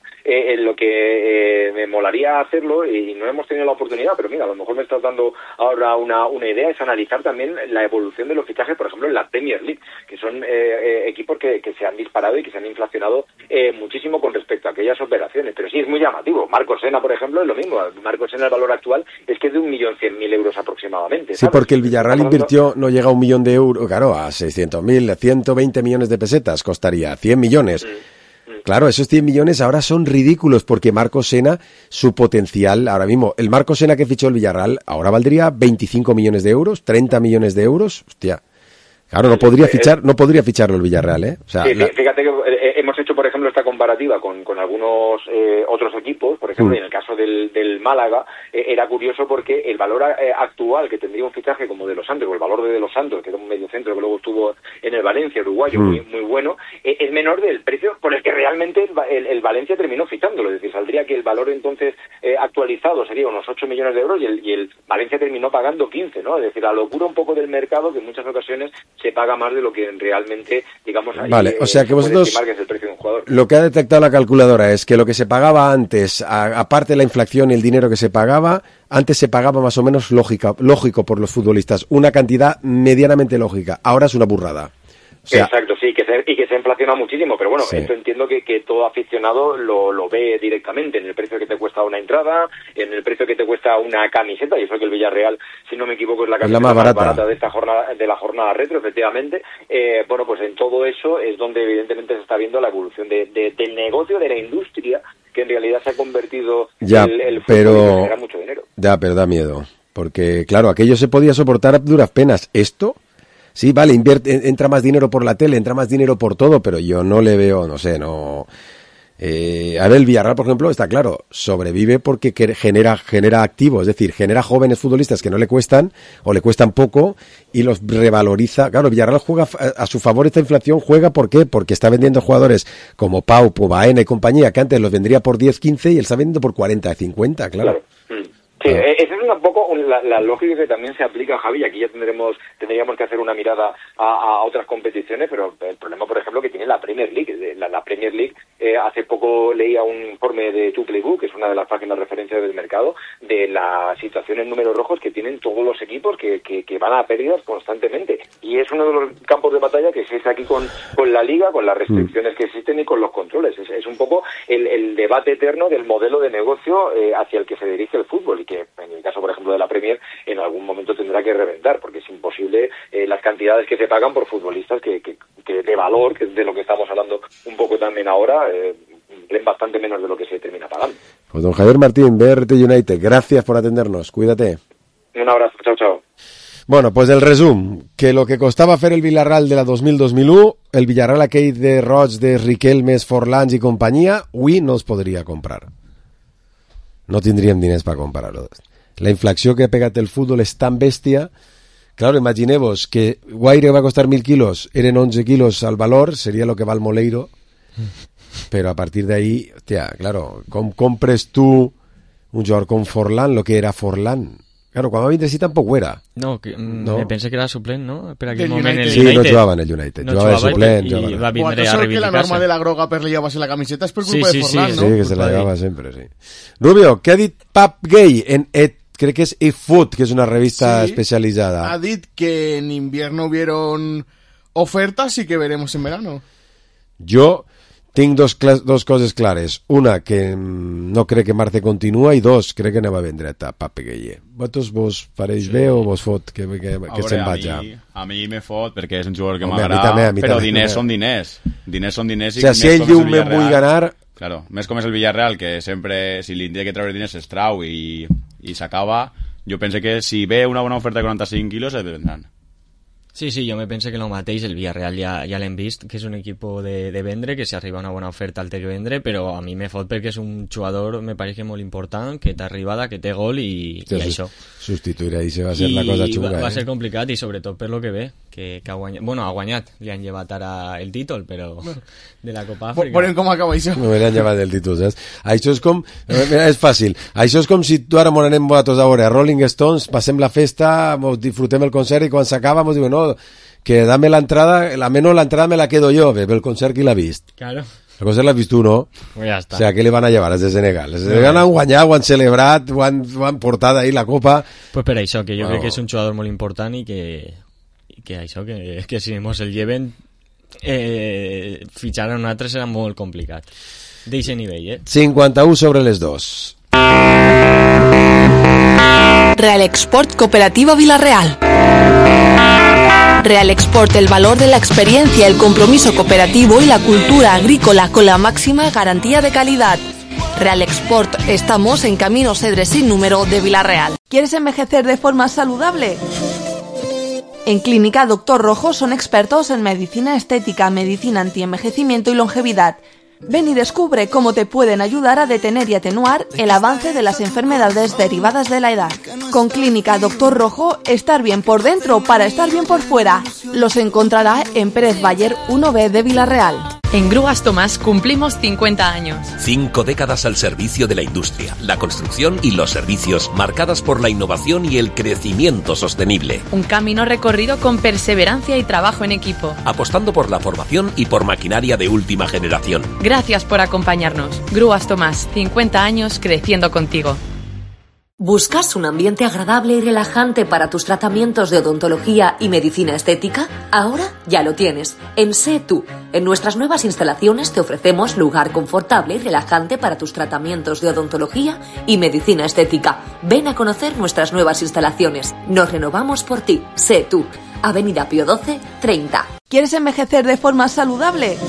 lo que me molaría hacerlo, y no hemos tenido la oportunidad, pero mira, a lo mejor me estás dando ahora una idea, es analizar también la evolución de los fichajes, por ejemplo, en la Premier League, que son equipos que se han disparado y que se han inflacionado muchísimo con respecto a aquellas operaciones, pero sí es muy llamativo. Marcos Sena, por ejemplo, es lo mismo. Marcos Sena, el valor actual es que es de 1.100.000 euros aproximadamente, ¿sabes? Sí, porque el Villarreal invirtió, no llega a 1 millón de euros, claro, a 600.000, 120 millones de pesetas costaría, 100 millones. Claro, esos 100 millones ahora son ridículos, porque Marcos Sena, su potencial ahora mismo, el Marcos Sena que fichó el Villarreal ahora valdría 25 millones de euros, 30 millones de euros, hostia. Claro, no podría ficharlo el Villarreal, ¿eh? O sea, sí, fíjate que hemos hecho, por ejemplo, esta comparativa con algunos otros equipos, por ejemplo, y en el caso del Málaga, era curioso porque el valor actual que tendría un fichaje como De Los Santos, o el valor de Los Santos, que era un mediocentro que luego estuvo en el Valencia, uruguayo, muy bueno, es menor del precio por el que realmente el Valencia terminó fichándolo. Es decir, saldría que el valor entonces actualizado sería unos 8 millones de euros y el Valencia terminó pagando 15, ¿no? Es decir, la locura un poco del mercado que en muchas ocasiones se paga más de lo que realmente, digamos, vale, o sea que vosotros, que es el precio de un jugador. Lo que ha detectado la calculadora es que lo que se pagaba antes, aparte de la inflación y el dinero que se pagaba, antes se pagaba más o menos lógico por los futbolistas, una cantidad medianamente lógica, ahora es una burrada. O sea, exacto, sí, que se inflaciona muchísimo, pero bueno, sí. Esto entiendo que todo aficionado lo ve directamente en el precio que te cuesta una entrada, en el precio que te cuesta una camiseta, y eso que el Villarreal, si no me equivoco, es la camiseta más barata de esta jornada, de la jornada retro, efectivamente. Bueno, pues en todo eso es donde evidentemente se está viendo la evolución del negocio, de la industria, que en realidad se ha convertido el fútbol y genera mucho dinero. Ya, pero da miedo, porque claro, aquello se podía soportar a duras penas, esto... Sí, vale, entra más dinero por la tele, entra más dinero por todo, pero yo no le veo, no sé, no... a ver, el Villarreal, por ejemplo, está claro, sobrevive porque genera activos, es decir, genera jóvenes futbolistas que no le cuestan o le cuestan poco y los revaloriza. Claro, el Villarreal juega a su favor esta inflación, ¿juega por qué? Porque está vendiendo jugadores como Pau, Baena y compañía, que antes los vendría por 10, 15 y él está vendiendo por 40, 50, claro. Sí, esa es un poco la lógica que también se aplica, Javi, y aquí ya tendríamos que hacer una mirada a otras competiciones, pero el problema, por ejemplo, que tiene la Premier League. La Premier League, hace poco leía un informe de Two Playbook, que es una de las páginas de referencia del mercado, de la situación en números rojos que tienen todos los equipos que van a pérdidas constantemente. Y es uno de los campos de batalla que existe aquí con la Liga, con las restricciones que existen y con los controles. Es un poco el debate eterno del modelo de negocio hacia el que se dirige el fútbol, y que en el caso, por ejemplo, de la Premier, en algún momento tendrá que reventar, porque es imposible las cantidades que se pagan por futbolistas que de valor, que es de lo que estamos hablando un poco también ahora, ven bastante menos de lo que se termina pagando. Pues don Javier Martín, BRT United, gracias por atendernos, cuídate. Un abrazo, chao. Bueno, pues el resum, que lo que costava fer el Villarreal de la 2000-2001, el Villarreal aquell de Roig, de Riquelmes, Forlans i companyia, avui no els podria comprar. No tindríem diners per comprar-ho. La inflació que ha pegat el futbol és tan bèstia. Claro, imagineu-vos que Guaire va costar 1.000 quilos, eren 11 quilos al valor, seria lo que val Moleiro, però a partir d'ahí, hòstia, claro, com compres tu un jugador com Forlán, lo que era Forlán? Claro, quan va vindre sí tampoc ho era. No, me pensé que era suplent, no? Per aquell moment el United. Sí, no jugava en el United, no jugava de suplent. I va vindre a reivindicar-se. que la norma de la groga per llevar-se la camiseta és per culpa de Forlán, no? Sí, que se la llevava sempre, sí. Rubio, què ha dit Pap Gay en crec que és eFoot, que és una revista especializada? Ha dit que en invierno hubieron ofertas y que veremos en verano. Jo tinc dos coses clares. Una, que no crec que Marce continua, i dos, crec que anem a vendre a Pape Gueye. Vosaltres vos pareix bé o vos fot que se'n vaig ja? A mi me fot perquè és un jugador que m'agrada, però diners són diners. Diners són diners. O sigui, si ell diu me vull ganar... Claro, més com és el Villarreal, que sempre, si li té que treure diners, es trau i s'acaba. Jo penso que si ve una bona oferta de 45 quilos, es vendran. Sí, jo me penso que el mateix, el Villarreal ja l'hem vist, que és un equip de vendre, que si arriba una bona oferta el té que vendre, però a mi me fot perquè és un jugador, me pareix que molt important, que té arribada, que té gol i això. Substituir ahí se va a ser la cosa xunga. Va ser complicat i sobretot per lo que ve, que ha guanyat, bueno, ha guanyat, li han llevat ara el títol, però de la Copa Àfrica. Veurem com acaba això. No, li han llevat el títol, saps? Això és com, és fàcil, això és com si tu ara m'on anem vosaltres a veure Rolling Stones, passem la festa, disfrutem el concert i quan s'acaba ens diuen, no, que dame la entrada, menos la entrada me la quedo yo, ve el concert qui l'ha vist. Claro. El concert l'has vist tu, no? Pues ja està. O sea, què li van a llevar els de Senegal? Els de Senegal han guanyat, ho han celebrat, ho han portat ahí la copa. Pues per això, que jo crec que és un jugador molt important i que això, que si mos el lleven fitxar a un altre serà molt complicat. D'eixe nivell, 51 sobre les 2. Real Export Cooperativa Villarreal. Real Export, el valor de la experiencia, el compromiso cooperativo y la cultura agrícola con la máxima garantía de calidad. Real Export, estamos en Camino Cedres sin número de Villarreal. ¿Quieres envejecer de forma saludable? En Clínica Doctor Rojo son expertos en medicina estética, medicina antienvejecimiento y longevidad. Ven y descubre cómo te pueden ayudar a detener y atenuar el avance de las enfermedades derivadas de la edad. Con Clínica Doctor Rojo, estar bien por dentro para estar bien por fuera. Los encontrará en Pérez Bayer 1B de Villarreal. En Grúas Tomás cumplimos 50 años. 5 décadas al servicio de la industria, la construcción y los servicios, marcadas por la innovación y el crecimiento sostenible. Un camino recorrido con perseverancia y trabajo en equipo. Apostando por la formación y por maquinaria de última generación. Gracias por acompañarnos. Grúas Tomás, 50 años creciendo contigo. ¿Buscas un ambiente agradable y relajante para tus tratamientos de odontología y medicina estética? Ahora ya lo tienes, en Sé Tú. En nuestras nuevas instalaciones te ofrecemos lugar confortable y relajante para tus tratamientos de odontología y medicina estética. Ven a conocer nuestras nuevas instalaciones. Nos renovamos por ti. Sé Tú. Avenida Pío XII, 30. ¿Quieres envejecer de forma saludable?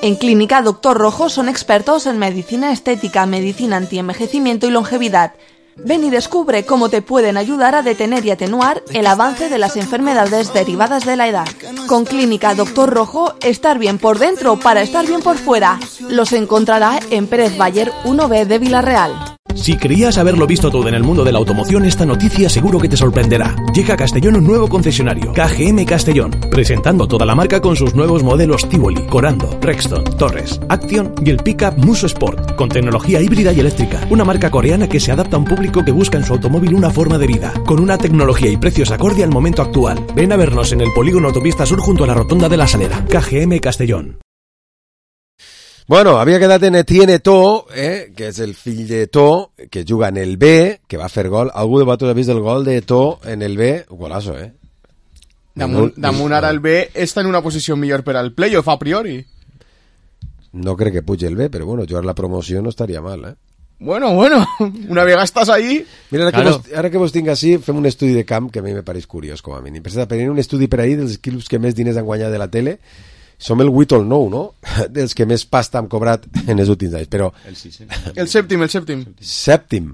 En Clínica Doctor Rojo son expertos en medicina estética, medicina antienvejecimiento y longevidad. Ven y descubre cómo te pueden ayudar a detener y atenuar el avance de las enfermedades derivadas de la edad. Con Clínica Doctor Rojo, estar bien por dentro para estar bien por fuera. Los encontrará en Pérez Bayer 1B de Villarreal. Si creías haberlo visto todo en el mundo de la automoción, esta noticia seguro que te sorprenderá. Llega a Castellón un nuevo concesionario, KGM Castellón, presentando toda la marca con sus nuevos modelos Tivoli, Corando, Rexton, Torres, Action y el pickup Muso Sport, con tecnología híbrida y eléctrica. Una marca coreana que se adapta a un público que busca en su automóvil una forma de vida, con una tecnología y precios acorde al momento actual. Ven a vernos en el polígono Autopista Sur junto a la Rotonda de la Salera. KGM Castellón. Bueno, havia quedat en Etienne To, que és el fill de To, que juga en el B, que va fer gol. Algú de vosaltres ha vist el gol de To en el B? Golazo, Damunt ara el B està en una posició millor per al playoff a priori. No crec que pugi el B, però bueno, jugar la promoció no estaria mal, Bueno, una vegada estàs ahí... Mira, ara que vos tinc així, fem un estudi de camp que a mi me pareix curiós, com a mínim. Per tenir un estudi per ahí dels clubs que més diners han guanyat de la tele, som el 8 o el 9, no? Dels que més pasta han cobrat en els últims anys, però... El sèptim. Sèptim.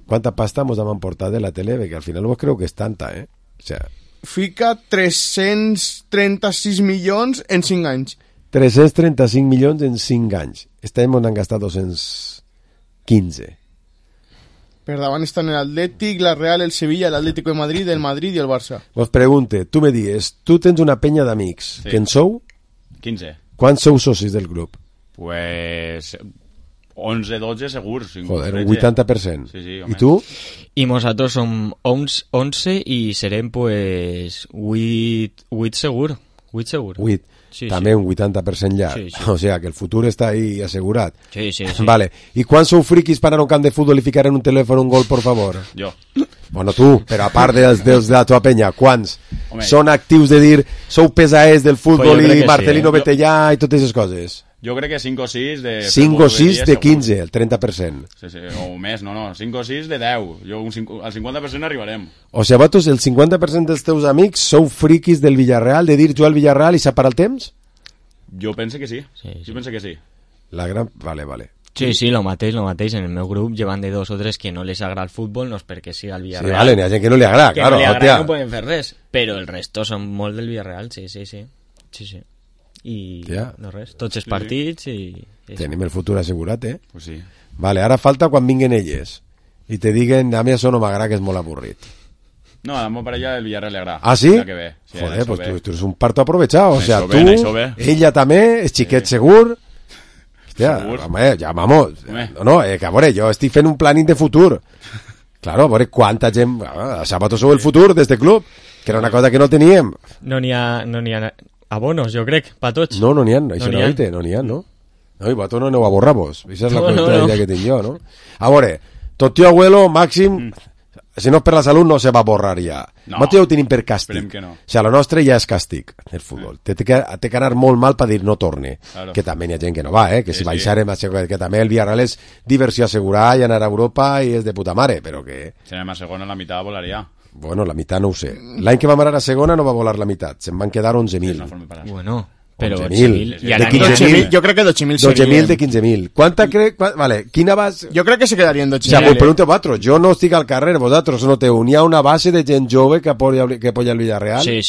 Quanta pasta mos hem emportat de la tele? Perquè al final vos creu que és tanta, O sea... Fica 336 milions en 5 anys. 335 milions en 5 anys. Este any m'han gastat 215. Per davant estan l'Atlètic, la Real, el Sevilla, l'Atlético de Madrid, el Madrid i el Barça. Vos pregunte, tu me dies, tu tens una penya d'amics, que en sou? 15. Quants sou socis del grup? Pues 11, 12 segurs. Joder, un 80%. Sí, ¿Y tú? Y nosotros son 11 y serem pues 8 seguro. 8 seguro. 8. Sí, també un 80% llarg. Sí. O sea, que el futur està ahí assegurat. Sí. Vale. ¿Y quants sou friquis per anar a un camp de futbol i ficar en un telèfon un gol, por favor? Jo. Bueno, tu, però a part dels de la tua penya, quants? Home. Són actius de dir, sou pesaers del futbol Pues i Marcelino vete allà i totes aquestes coses? Jo crec que 5 o 6 de... 5 o 6 de 15, el 30%. Sí, o més, no, 5 o 6 de 10. Al 50% arribarem. O sigui, vosaltres, el 50% dels teus amics sou friquis del Villarreal, de dir jo al Villarreal i separar el temps? Jo penso que sí. Jo penso que sí. La gran... Vale. Sí, lo mateix. En el meu grup llevan de 2 o 3 que no les agrada el fútbol, no és perquè siga el Villarreal. Sí, vale, n'hi ha gent que no li agrada, que claro. Que no li agrada, no poden fer res. Però el resto són molt del Villarreal, sí. I no res, tots els partits i... Tenim el futur assegurat, Pues sí. Vale, ara falta quan vinguen elles i te diguen, a mi això no m'agrada, que és molt avorrit. No, a la meva parella el Villarreal le agrada. Ah, sí? Que ve. Sí, joder, pues tu eres un parto aprovechado. O sea, tú, ella també, és xiquet segur. Hòstia, home, ja, vamos. No, que a veure, jo estic fent un planning de futur. Claro, a veure quanta gent... A Sabato sou el futur d'este club, que era una cosa que no teníem. No n'hi ha abonos, jo crec, pa tots. No n'hi ha, això no n'hi ha, no? No, i vosaltres no aneu a borrar-vos. Això és la qüestió que tinc jo, no? A veure, tot tio abuelo, màxim... Si no és per la salut, no se va borrar ja. No. Nosaltres ja ho tenim per càstig. Que no. O sigui, la nostra ja és càstig, el futbol. Té que anar molt mal per dir no torne. Claro. Que també n'hi ha gent que no va, que si baixarem, que també el Villarreal és diversió assegurada i anar a Europa i és de puta mare, però que... Si anem a segona, la meitat volaria. Bueno, la meitat no ho sé. L'any que vam anar a segona no va volar la meitat, se'n van quedar 11.000. Bueno, Però 11.000. I ara de 15.000. Jo crec que 12.000 12.000 de 15.000. Quanta crec... Vale, quina base... Jo crec que se quedaria en 12.000. O sea, pues pregunto a vosaltres, jo no estic al carrer, vosaltres noteu, n'hi ha una base de gent jove que apoya el Villarreal? Sí.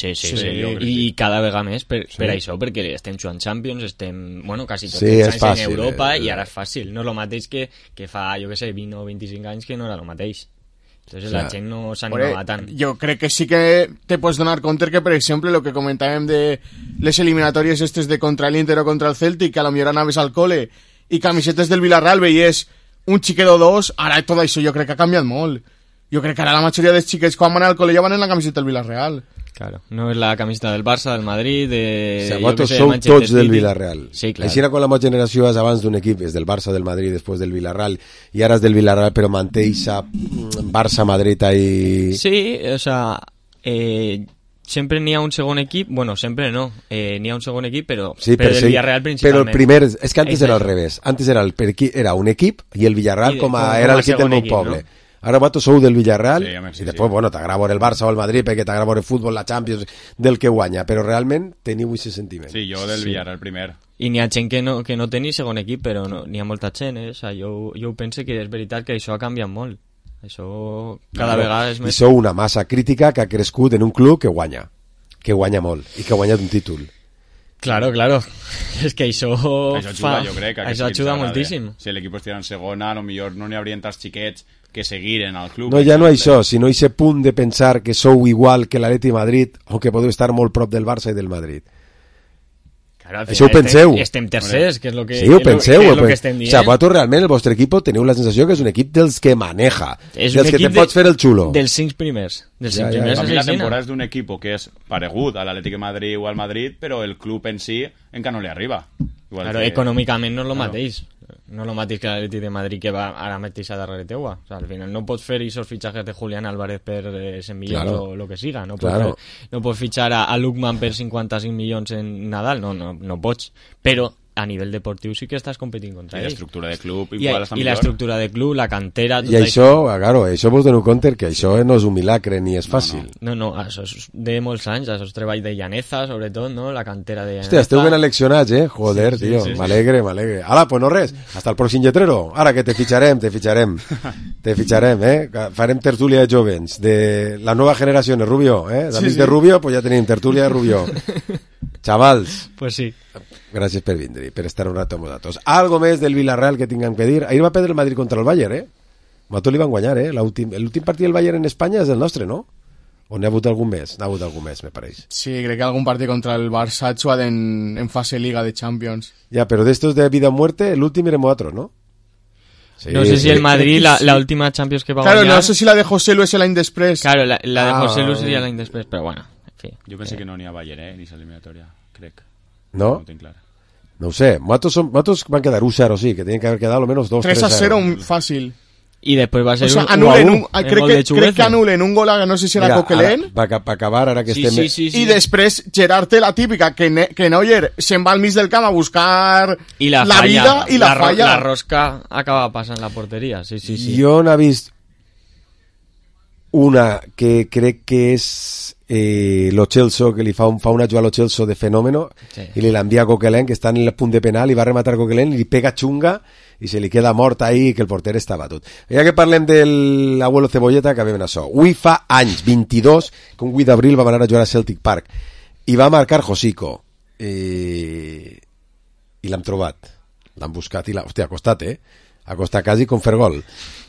I cada vegada més per això, perquè estem jugant Champions, estem, bueno, quasi tots els anys fàcil, en Europa, i ara és fàcil. No és el mateix que fa, jo què sé, 20 o 25 anys que no era el mateix. Entonces la gent no s'animava tant. Jo crec que sí que te pots donar compte que, per exemple, el que comentàvem de les eliminatòries estes de contra l'Inter o contra el Celtic, que a lo millor anaves al cole i camisetes del Villarreal veies un xiquet o dos, ara tot això jo crec que ha canviat molt. Jo crec que ara la majoria dels xiquets quan van al col·le ja van en la camiseta del Villarreal. Claro, no és la camiseta del Barça, del Madrid, o sea, vosaltres sou tots del Villarreal. Sí, clar. Així era quan la meva generació és abans d'un equip, és del Barça, del Madrid, després del Villarreal, i ara és del Villarreal, però manté a Barça-Madrid ahí... Sí, o sea, sempre n'hi ha un segon equip, bueno, sempre no, n'hi ha un segon equip, però del Villarreal principalment. Però el primer, és que antes era al revés, antes era un equip i el Villarreal era l'equip del meu poble. No? Ara vosaltres sou del Villarreal i després, bueno, t'agrada veure el Barça o el Madrid perquè t'agrada veure el futbol, la Champions, del que guanya, però realment teniu aquest sentiment. Sí, jo del Villarreal primer. I n'hi ha gent que no té ni segon equip, però n'hi ha molta gent, O sea, jo penso que és veritat que això ha canviat molt. Això cada vegada és més... I sou una massa crítica que ha crescut en un club que guanya molt i que ha guanyat un títol. Claro. És que això ajuda, jo crec. Això ajuda moltíssim. Si l'equip estigui en segona, potser no n'hi haurien tants xiquets que seguiren al club. No, ja no això, sinó aquest punt de pensar que sou igual que l'Atleti Madrid o que podeu estar molt prop del Barça i del Madrid. Claro, això ho penseu. Estem tercers, que és el que, sí, ho penseu, és lo que estem dient. O sigui, vosaltres realment, el vostre equip, teniu la sensació que és un equip dels que maneja, dels que te pots fer el xulo. Dels 5 primers. Dels 5 primers. A mi la temporada és d'un equip que és paregut a l'Atlètic de Madrid o al Madrid, però el club en si encara no li arriba. Igual claro, econòmicament no és el mateix. No és el mateix que l'Atlètic de Madrid que va ara mateix a darrere teua. O sea, al final no pots fer esos fitxatges de Julián Álvarez per 100 milions o lo que siga. No pots fitxar a Lukman per 55 milions en Nadal. No pots. Però a nivell deportiu sí que estàs competint contra ell. I l'estructura de club igual està millor. I l'estructura de club, la cantera... I això, claro, això vos dono compte que això no és un milagre ni és fàcil. No, això és de molts anys, això és treball de Llaneza, sobretot, no? La cantera de Llaneza. Hòstia, esteu ben eleccionats, Joder, tio, m'alegre. Ala, pues no res, hasta el pròxim lletrero. Ara que te ficharem, Farem tertúlia de jovens, de la nova generació, Rubio, d'amics de Rubio, pues ja tenim tertúlia de Rubio. Xavals. Pues sí. Gràcies per vindre, per estar un rato amb nosaltres. Algo més del Villarreal que tinguem que dir? Ahir va perdre el Madrid contra el Bayern, Nosaltres li van guanyar, l'últim partit del Bayern en Espanya és el nostre, no? O n'hi ha hagut algun més? N'ha hagut algun més, me pareix. Sí, crec que algun partit contra el Barça ha jugat en fase Liga de Champions. Ja, però d'estos de vida o muerte, l'últim érem nosaltres, ¿no? Sí, no sé si el Madrid, la última Champions que va guanyar... Claro, no sé si la de José Lu és l'any després. Claro, la de José Lu seria l'any després, però bueno, en fi. Jo penso que no n'hi ha Bayern, ni s'eliminatòria, crec. No? No ho tinc clar. No ho sé, nosaltres van quedar 1-0, sí, que tenien que haver quedat almenys 2-3-0. 3-0 fàcil. I després va ser un 1-1. Crec que anulen un gol a no sé si era Coquelin. Va acabar ara que estem... Sí. I després Gerard té la típica que Neuer se'n va al mig del camp a buscar la vida i la falla. La rosca acaba passant la porteria, sí. Jo n'he vist una que crec que és lo Chelsea, que li fa una jugada a lo Chelsea de fenómeno, i li l'envia a Coquelin, que està en el punt de penal, i va rematar Coquelin, i li pega xunga i se li queda mort ahí, que el porter està batut. Ja que parlem de l'abuelo Cebolleta, acabem en això. Avui fa anys, 22, que un 8 d'abril va anar a jugar a Celtic Park i va marcar Josico i l'hem trobat, l'han buscat i hòstia, ha costat, ha costat quasi com fer gol,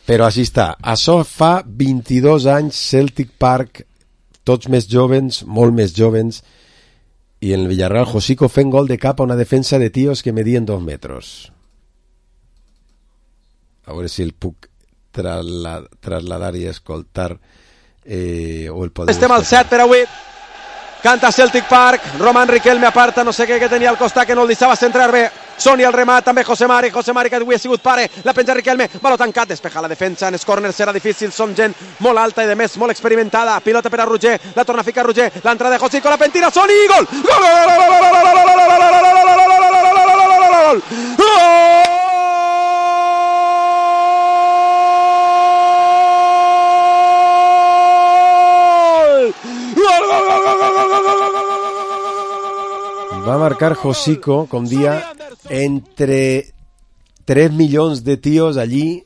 però així està. Això fa 22 anys, Celtic Park, tots més jovens, molt més jovens, i en el Villarreal Josico fent gol de cap a una defensa de tios que medien 2 metres. A veure si el puc trasladar i escoltar o el podem... Estem al 7 per avui. Canta Celtic Park, Roman Riquelme aparta, no sé què que tenia al costat, que no el deixava centrar bé. Soni el remat, també José Mari que avui ha sigut pare, la penja Riquelme, baló tancat, despeja la defensa, en els corners serà difícil, són gent molt alta i de més molt experimentada, pilota per a Roger, la torna a ficar Roger, l'entrada de Josico, la pentina, Soni, gol! va marcar Josico, com dia, entre 3 milions de tios allí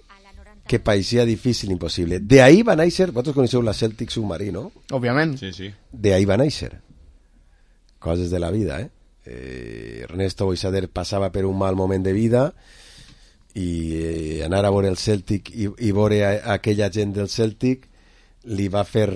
que parecía difícil, imposible. De ahí va a néixer, vosaltres coneixeu la Celtic Submarine, no? Òbviament. Sí, sí. De ahí va a néixer. Coses de la vida, Ernesto Boixader passava per un mal moment de vida i anar a veure el Celtic i veure aquella gent del Celtic li va fer